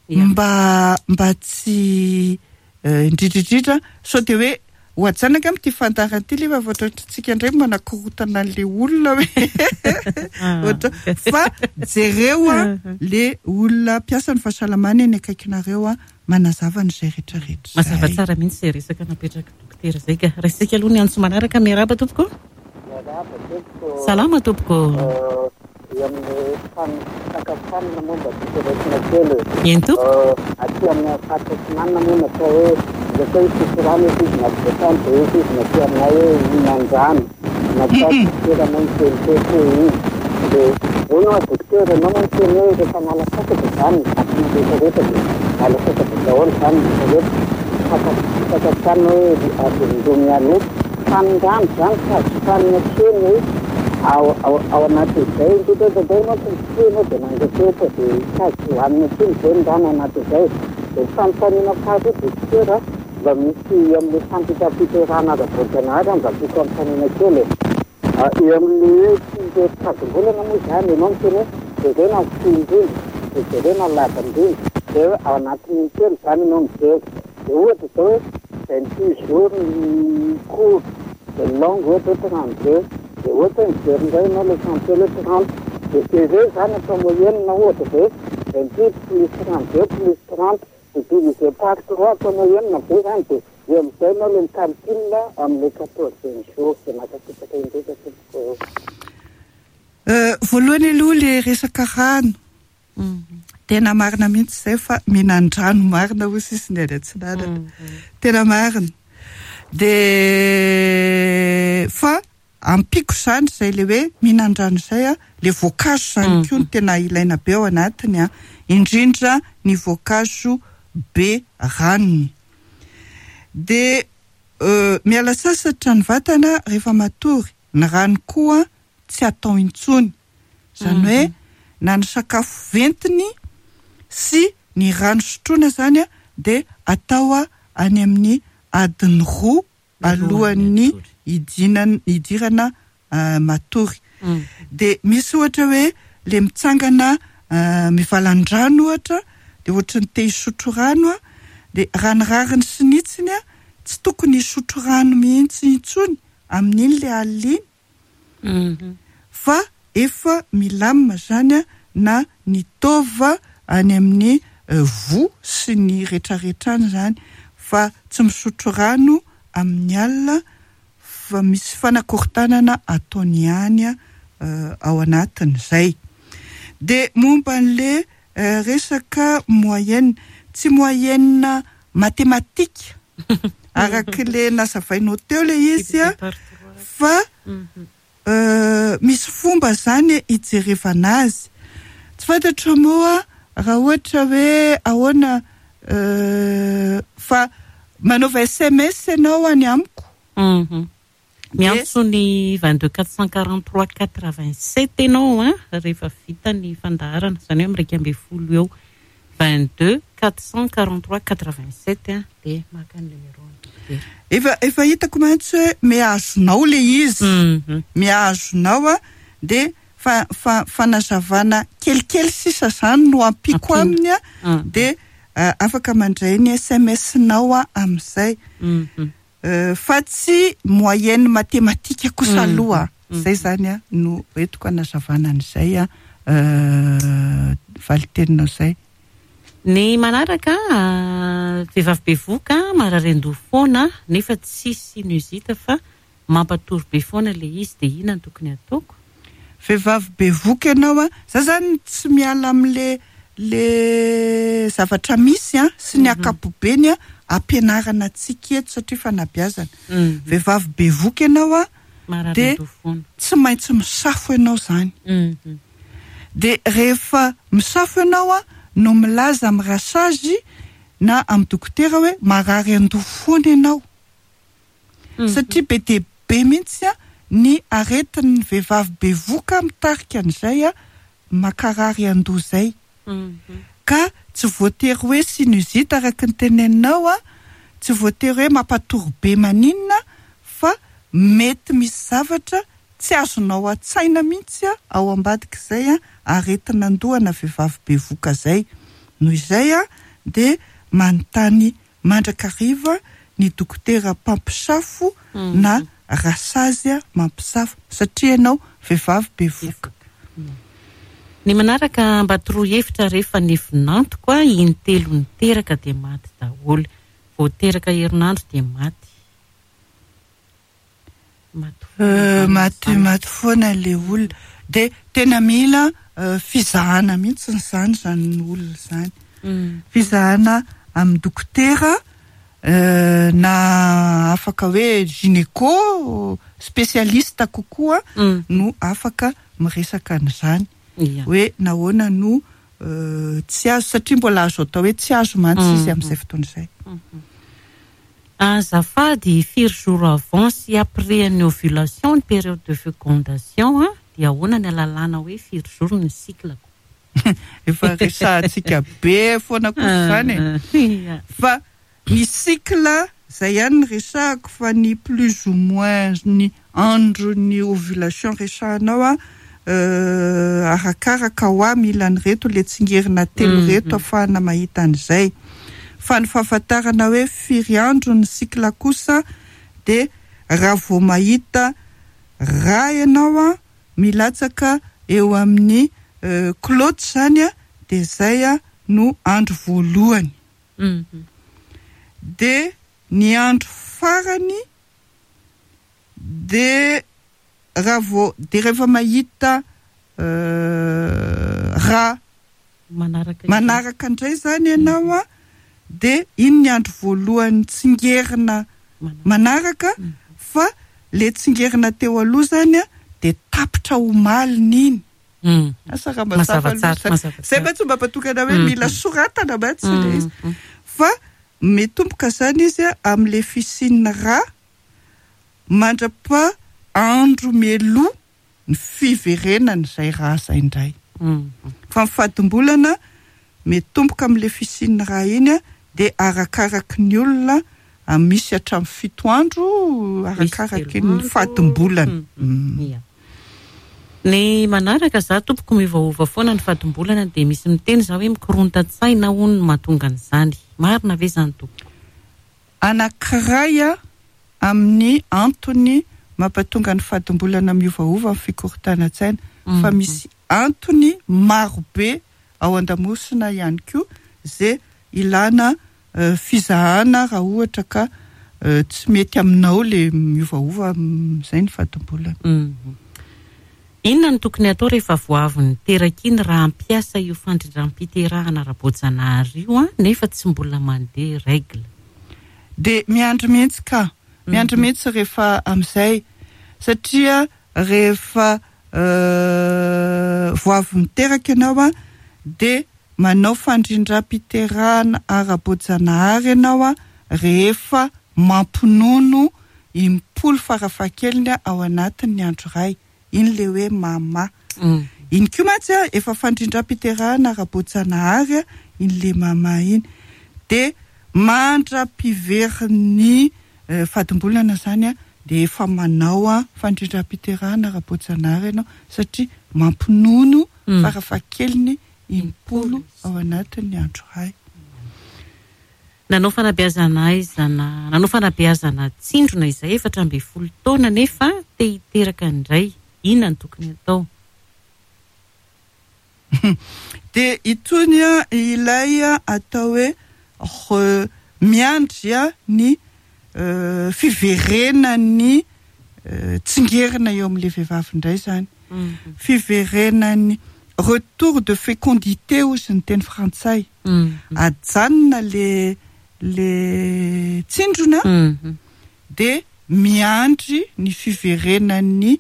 Mba mba tsy indrindrindrindra sao dia hoe ho ajanaka amin'ity fandaharana ity ilay efa ohatrohatrantsika indray manakorotana an'ilay olona hoe ohatra fa jereo a le olona mpiasan'ny fahasalamana eny akaikinareo a manazava an'izay rehetrarehetra. Mazava tsara mihitsy izay resaka napetraka dokotera izay ka. Raisika aloha ny antso manaraka. Miarahaba tompoko. Miarahaba tompoko. Salama tompoko. Eo amin'ny fisakafoanana moa mba tiako raisina kely. Eny tompoko. Aty amin'ny faritra Atsinanana moa natao hoe rehefa hoe hisotro rano eto izy na voatany dia eto izy natao aminay hoe hihinan-drano. Natao dokotera moa niteny teto hoe iny. Dia hono aho dokotera, ianao moa niteny hoe rehefa miala sasatra izany ny vatana rehetrarehetra dia miala sasatra daholo izany ny rehetrarehetra. Fisakafoanana hoe adiny roa mialoha. Fa ny rano izany tsy azo hohanina kely hoe ao ao anatin'izay indrindra indraindray manko mifoha ianao dia mangeteheta dia tsy azo hohanina intsony izay ny rano anatin'izay. Dia ny fanontaniana faharoa dokotera mba misy amin'ny fandrindram-piterahana ara-boajanahary mba tiako hanontaniana kely e. Eo amin'ny hoe tsy herim-pahadimbolana moa izany ianao miteny hoe jerena ny fohy indrindra dia jerena ny lava indrindra dia ao anatin'ny telo izany ianao mijery. Dia ohatra izao hoe vingt-huit jours ny court dia longue ohatra hoe trente-deux dia ohatra hoe mijery indray ianao ilay trente-telo hoe trente dia ireo izany atao moyenne ohatra dia vingt-huit plus trente-deux plus trente dia divisé par trois atao moyenne be izany dia eo amin'izay ianao ilay micalcule amin'ilay quatorzième jour dia mankasitraka indrindra tompoko. Voalohany aloha ilay resaka rano. Tena marina mihitsy izay fa mihinan-drano marina hoy sisy ny any Atsinanana. Tena marina. Dia fa ampiko izany izay ilay hoe mihinan-drano izay a, ilay voankazo izany koa no tena ilaina be ao anatiny a, indrindra ny voankazo be ranony. Dia miala sasatra ny vatana rehefa matory, ny rano koa tsy atao intsony. Izany hoe na ny sakafo ventiny sy ny rano sotroina izany a dia atao any amin'ny adiny roa alohan'ny hidinan-, hidirana matory. Dia misy ohatra hoe le mitsangana mivalan-drano ohatra dia ohatry ny te hisotro rano a, dia raha ny rariny sy ny hitsiny a tsy tokony hisotro rano mihitsy intsony amin'iny le alina iny, fa efa milamina zany a na ny taova any amin'ny voa sy ny rehetrarehetra any zany, fa tsy misotro rano amin'ny alina fa misy fanakorontanana ataony ihany ao anatin'izay. De momba an'le resaka moyenne, tsy moyenne mathématique araka le nazavainao teo le izy a, fa misy fomba zany hijerevana azy. Tsy fantatro moa raha ohatra hoe ahoana, fa manaova S M S ianao any amiko. Miantso ny vingt-deux quatre cent quarante-trois quatre-vingt-sept ianao a, rehefa vita ny fandaharana, izany hoe amin'ny iraika ambin'ny folo eo. vingt-deux quatre cent quarante-trois quatre-vingt-sept a, dia maka ny numéro an'ny dokotera. Efa, efa hitako mantsy hoe mihazonao le izy. Mihazonao a, dia fa, fa, fanazavana kelikely sisa zany no ampiko aminy a, dia afaka mandray ny S M S-nao a amin'izay. Fa tsy moyenne mathématique kosa aloha. Izay zany a no entiko hanazavana an'izay a, valiteninao izay. Ny manaraka, vehivavy bevoka marary an-doha foana nefa tsy sinusite fa mampatory be foana le izy, dia inona no tokony ataoko? Vehivavy bevoka ianao a, za zany tsy miala amin'le le zavatra misy a sy ny ankapobeny a ampianarana antsika eto satria fanabeazana. Vehivavy bevoka ianao a, dia tsy maintsy misafo ianao zany. Dia rehefa misafo ianao a no milaza amin'ny rasazy na amin'ny dokotera hoe marary an-doha foana ianao. Satria be dia be mihitsy a ny aretin'ny vehivavy bevoka mitarika an'izay a makarary an-doha izay. Ka tsy voatery hoe sinusite araka ny teneninao a, tsy voatery hoe mampatory be maninona, fa mety misy zavatra tsy azonao an-tsaina mihitsy a ao ambadik'izay a aretin'andoha na vehivavy bevoka izay. Noho izay a dia manontany mandrakariva ny dokotera mpampisafo na rasazy a mampisafo, satria ianao vehivavy bevoka. Ny manaraka mba toroa hevitra rehefa ny vinantoko a, intelo niteraka dia maty daholo, vao teraka herinandro dia maty. Maty foana. Maty, maty foana le olona. Dia tena mila fizahana mihitsy izany zany olona izany. Fizahana amin'ny dokotera na afaka hoe gynéco spécialiste kokoa no afaka miresaka an'izany. Hoe nahoana no tsy azo, satria mbola azo atao hoe tsy azo mantsy izy amin'izay fotoana izay. Azafady, firy jours avant sy après ny ovulation ny période de fécondation a, dia ahoana ny alalàna hoe firy jours ny cycle-ko? Efa resahantsika be foana kosa izany e. Fa ny cycle izay ihany ny resahako, fa ny plus ou moins ny andro ny ovulation resahanao a, arakaraka ho ahy mila an'ireto le tsingerina telo reto ahafahana mahita an'izay. Fa ny fahafantarana hoe firy andro ny cycle kosa dia raha vao mahita raha ianao a milatsaka eo amin'ny clotte zany a, dia izay a no andro voalohany. Dia ny andro farany dia raha vao, dia rehefa mahita raha manaraka indray zany ianao a, dia iny ny andro voalohany tsingerina manaraka, fa le tsingerina teo aloha zany a dia tapitra omaliny iny. Asa raha mazava loatra. Izay mantsy mba mampatokana hoe mila soratana mantsy le izy. Fa mitomboka zany izy a amin'le fisian'ny rà mandrapa andro mialoha ny fiverenan'izay rà izay indray. Fa ny fadimbolana mitomboka amin'le fisian'ny rà iny a, dia arakaraky ny olona misy hatramin'ny fito andro arakaraky ny fadimbolana. Ny manaraka za tompoko miovaova foana ny fadimbolana, dia misy miteny za hoe mikorontan-tsaina hono no mahatonga an'izany. Marina ve izany tompoko? Anankiray a amin'ny antony mampatonga ny fadimbolana miovaova ny fikorontanan-tsaina, fa misy antony marobe ao an-damosina ihany koa zay ilana fizahana raha ohatra ka tsy mety aminao le miovaova zay ny fadimbolana. Inona no tokony atao rehefa voavy niteraka iny raha ampiasa io fandrindram-piterahana ara-boajanahary io a nefa tsy mbola mandeha règle? De miandry mihitsy ka, miandry mihitsy rehefa amin'izay, satria rehefa voavy miteraka ianao a de manao fandrindram-piterahana ara-boajanahary ianao a rehefa mampinono impolo farafahakeliny ao anatin'ny andro iray. Iny le hoe mama. Iny koa mantsy a efa fandrindram-piterahana ara-boajanahary a iny le mama iny. De mandra-piverin'ny fadimbolana zany a de efa manao a fandrindram-piterahana ara-boajanahary ianao satria mampinono farafahakeliny impolo ao anatin'ny andro iray. Nanao fanabeazana aizana, nanao fanabeazana tsindrona izay efatra ambin'ny folo taona nefa te hiteraka indray. Inona no tokony atao? De itony a ilay atao hoe miandry a ny fiverenan'ny tsingerina eo amin'ilay vehivavy indray zany. Fiverenan'ny retour de fécondité ozy ny teny frantsay. Ajanona le le tsindrona de miandry ny fiverenan'ny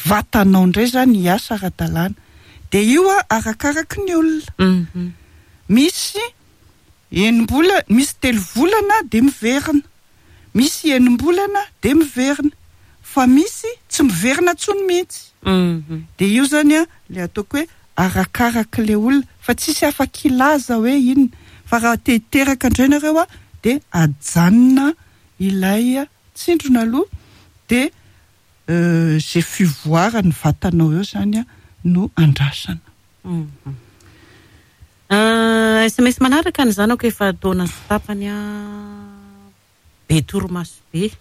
vatanao indray zany hiasa ara-dalàna. De io a arakaraky ny olona. Misy enim-bolana, misy telo volana de miverina, misy enim-bolana de miverina, fa misy tsy miverina intsony mihitsy. De io zany a le ataoko hoe arakaraky le olona, fa tsisy afaka hilaza hoe inona. Fa raha te hiteraka indray nareo a de ajanona ilay tsindrona aloha, de zay fivoaran'ny vatanao eo zany a no andrasana. S M S manaraka ny zanako efa taona sy tapany a be torimaso be.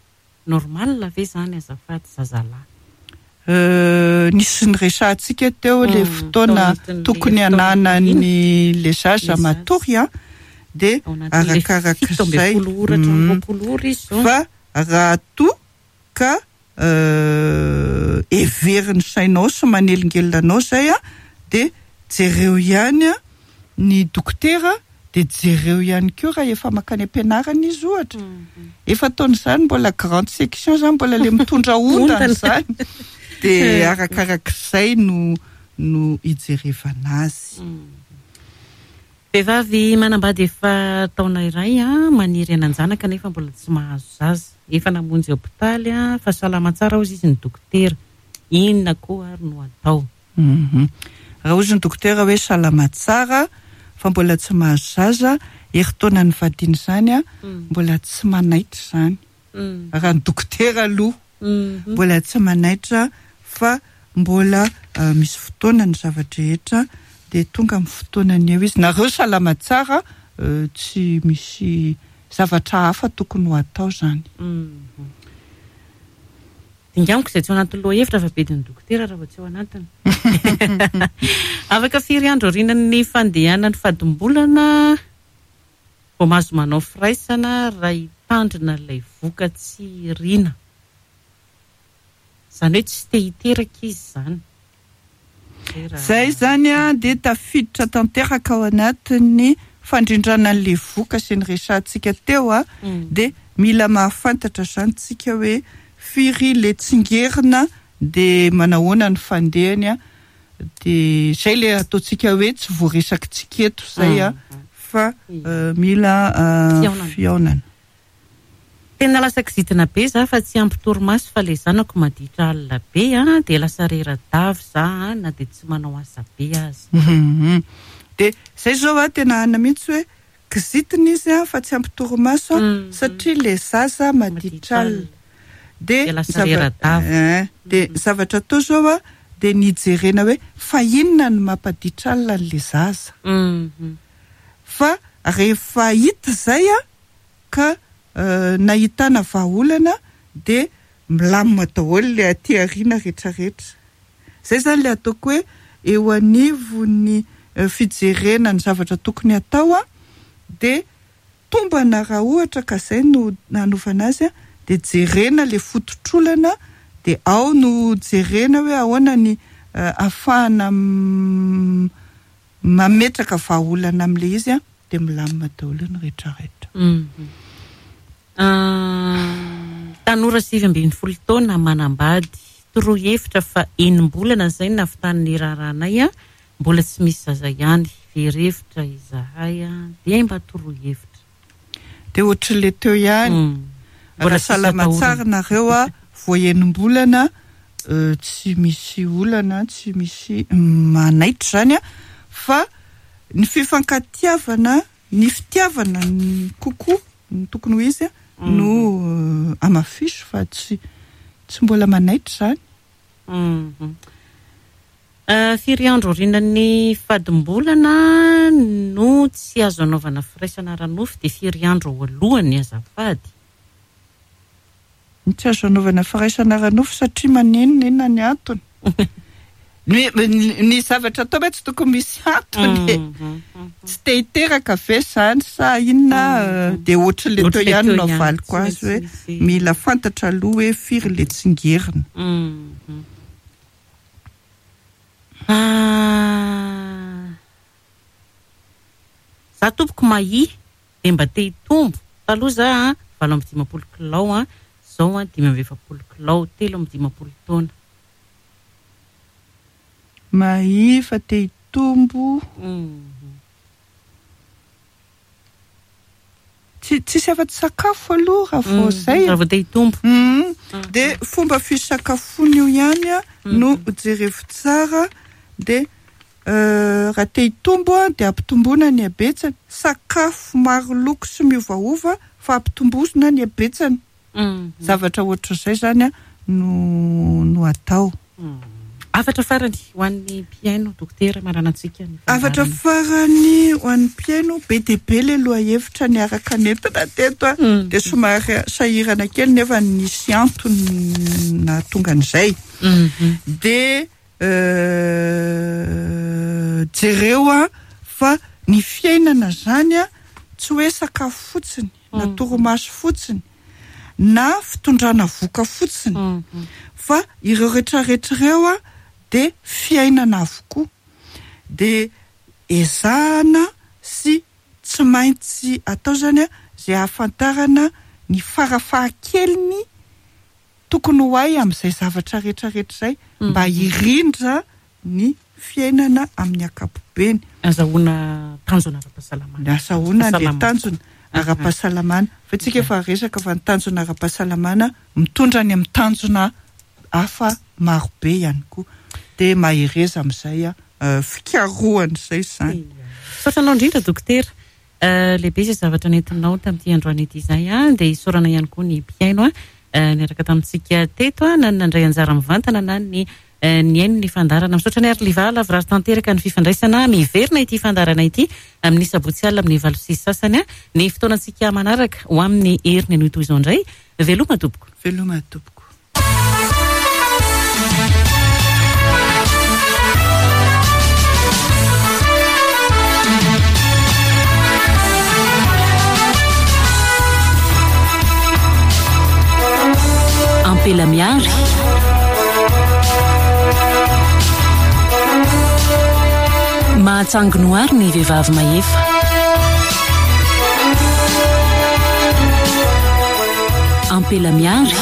Normal ve zany azafady zazalahy? Nisy ny resahantsika teo le fotoana tokony hananany le zaza matory a de arakarak'izay. Fa raha toa ka heverin'ny sainao sy manelingelina anao zay a de jereo ihany a ny dokotera, de jereo ihany koa raha efa mankany am-pianarana izy ohatra. Efa ataon'izany mbola grande section zany, mbola le mitondra ondana zany. De arakarak'izay no no ijerevana azy. Vehivavy manambady efa taona iray a maniry hanan-janaka nefa mbola tsy mahazo zaza. Efa namonjy hopitaly a fa salama tsara hozy izy ny dokotera. Inona koa ary no atao? Raha hozy ny dokotera hoe salama tsara fa mbola tsy mahazo zaza, herintaona ny vadiny zany a mbola tsy manaitra zany. Raha ny dokotera aloha mbola tsy manaitra fa mbola misy fotoana ny zava-drehetra, de tonga amin'ny fotoanany eo izy. Nareo salama tsara, tsy misy zavatra hafa tokony ho atao zany. Dingamiko izay tsy ao anatin'ny lohahevitra fa be ny dokotera raha vao tsy ao anatiny. Afaka firy andro aorian'ny fandehanan'ny fadimbolana vao mahazo manao firaisana raha hitandrina ilay voka tsy irina? Izany hoe tsy te hiteraka izy zany. Zay zany a de tafiditra tanteraka ao anatin'ny fandrindrana an'ilay voka sy ny resahantsika teo a de mila mahafantatra zany tsika hoe firy le tsingerina de manahoana ny fandehany a de zay le ataontsika hoe tsy voaresakitsika eto zay a fa mila fihaonana. Tena lasa kizitina be za fa tsy ampy torimaso fa le zanako maditra alina be a de lasa rera-davy za na de tsy manao asa be aza. De zay zao a tena ana mihitsy hoe kizitina izy a fa tsy ampy torimaso satria le zaza maditra alina. De de zavatra atao zao a de nijerena hoe fa inona no mampaditra alina an'le zaza. Fa rehefa hita zay a ka nahitana vahaolana de milamina daholo le aty aoriana rehetrarehetra. Zay zany le ataoko hoe eo anivon'ny fijerena ny zavatra tokony atao a, de tombana raha ohatra ka zay no nanovana azy a, de jerena le fototr'olana, de ao no jerena hoe ahoana ny ahafahana mametraka vahaolana amin'le izy a, de milamina daholo ny rehetrarehetra. Tanora sivy ambin'ny folo taona manambady, toroa hevitra fa enim-bolana izay no nahavitan'ny raharahanay a, mbola tsy misy zaza ihany, very hevitra izahay a, dia mba toroa hevitra. De ohatran'le teo ihany, raha salama tsara nareo a, vao enim-bolana tsy misy olana, tsy misy manaitra zany a, fa ny fifankatiavana, ny fitiavana ny kokoa ny tokony ho izy a, no amafiso fa tsy tsy mbola manaitra zany. Firy andro aorian'ny fadimbolana no tsy azo anaovana firaisana ara-nofo, dia firy andro alohany azafady? Ny tsy azo anaovana firaisana ara-nofo satria maninona, inona ny antony? Ny, ny zavatra atao hoe tsy tokony misy antony. Tsy te hiteraka ve zany sa inona? Dia ohatran'le teo ihany no avaliko azy hoe mila fantatra aloha hoe firy le tsingerina. Za tompoko mahia dia mba te hitombo. Taloha za valo amby dimampolo kilao a, zao a dimy amby efapolo kilao, telo amby dimampolo taona. Mahia fa te hitombo. Tsy tsisy afa-tsy sakafo aloha raha vao zay. Raha vao te hitombo. Dia fomba fisakafoana io ihany a no jerevo tsara, dia raha te hitombo a dia ampitomboana ny habetsany. Sakafo maro loko sy miovaova fa ampitomboana ny habetsany. Zavatra ohatr'izay zany a no no atao. Hafatra farany ho an'ny mpihaino, dokotera, marana antsika ny fandaharana. Hafatra farany ho an'ny mpihaino, be dia be le lohahevitra niaraka nentina teto a, dia somary sahirana kely nefa nisy antony nahatonga an'izay. Dia jereo a fa ny fiainana zany a tsy hoe sakafo fotsiny, na torimaso fotsiny, na fitondrana voka fotsiny, fa ireo rehetrarehetra ireo a dia fiainana avokoa. Dia ezahana sy tsy maintsy atao zany a izay ahafantarana ny farafahakeliny tokony ho hay amin'izay zavatra rehetrarehetra izay mba hirindra ny fiainana amin'ny ankapobeny. Azahoana tanjona ara-pahasalamana. Azahoana le tanjona ara-pahasalamana. Fa tsika efa resaka fa ny tanjona ara-pahasalamana mitondra ny amin'ny tanjona hafa marobe ihany koa. Dia mahereza amin'izay a fikarohana izay izany. Misaotra anao indrindra dokotera. Lehibe izay zavatra nentinao tamin'ity androany ity izay a, dia isaorana ihany koa ny mpihaino a niaraka tamintsika teto a, na ny nandray anjara mivantana na ny nihaino ny fandaharana. Misaotra ny ary Liva lavorary tanteraka ny fifandraisana. Miverina ity fandaharana ity amin'ny sabotsy alina amin'ny valo sy sasany a, ny fotoanantsika manaraka ho amin'ny heriny anio toy izao indray. Veloma tompoko. Veloma tompoko. Ampela miary. Mahatsanginoary ny vehivavy mahefa. Ampela miary.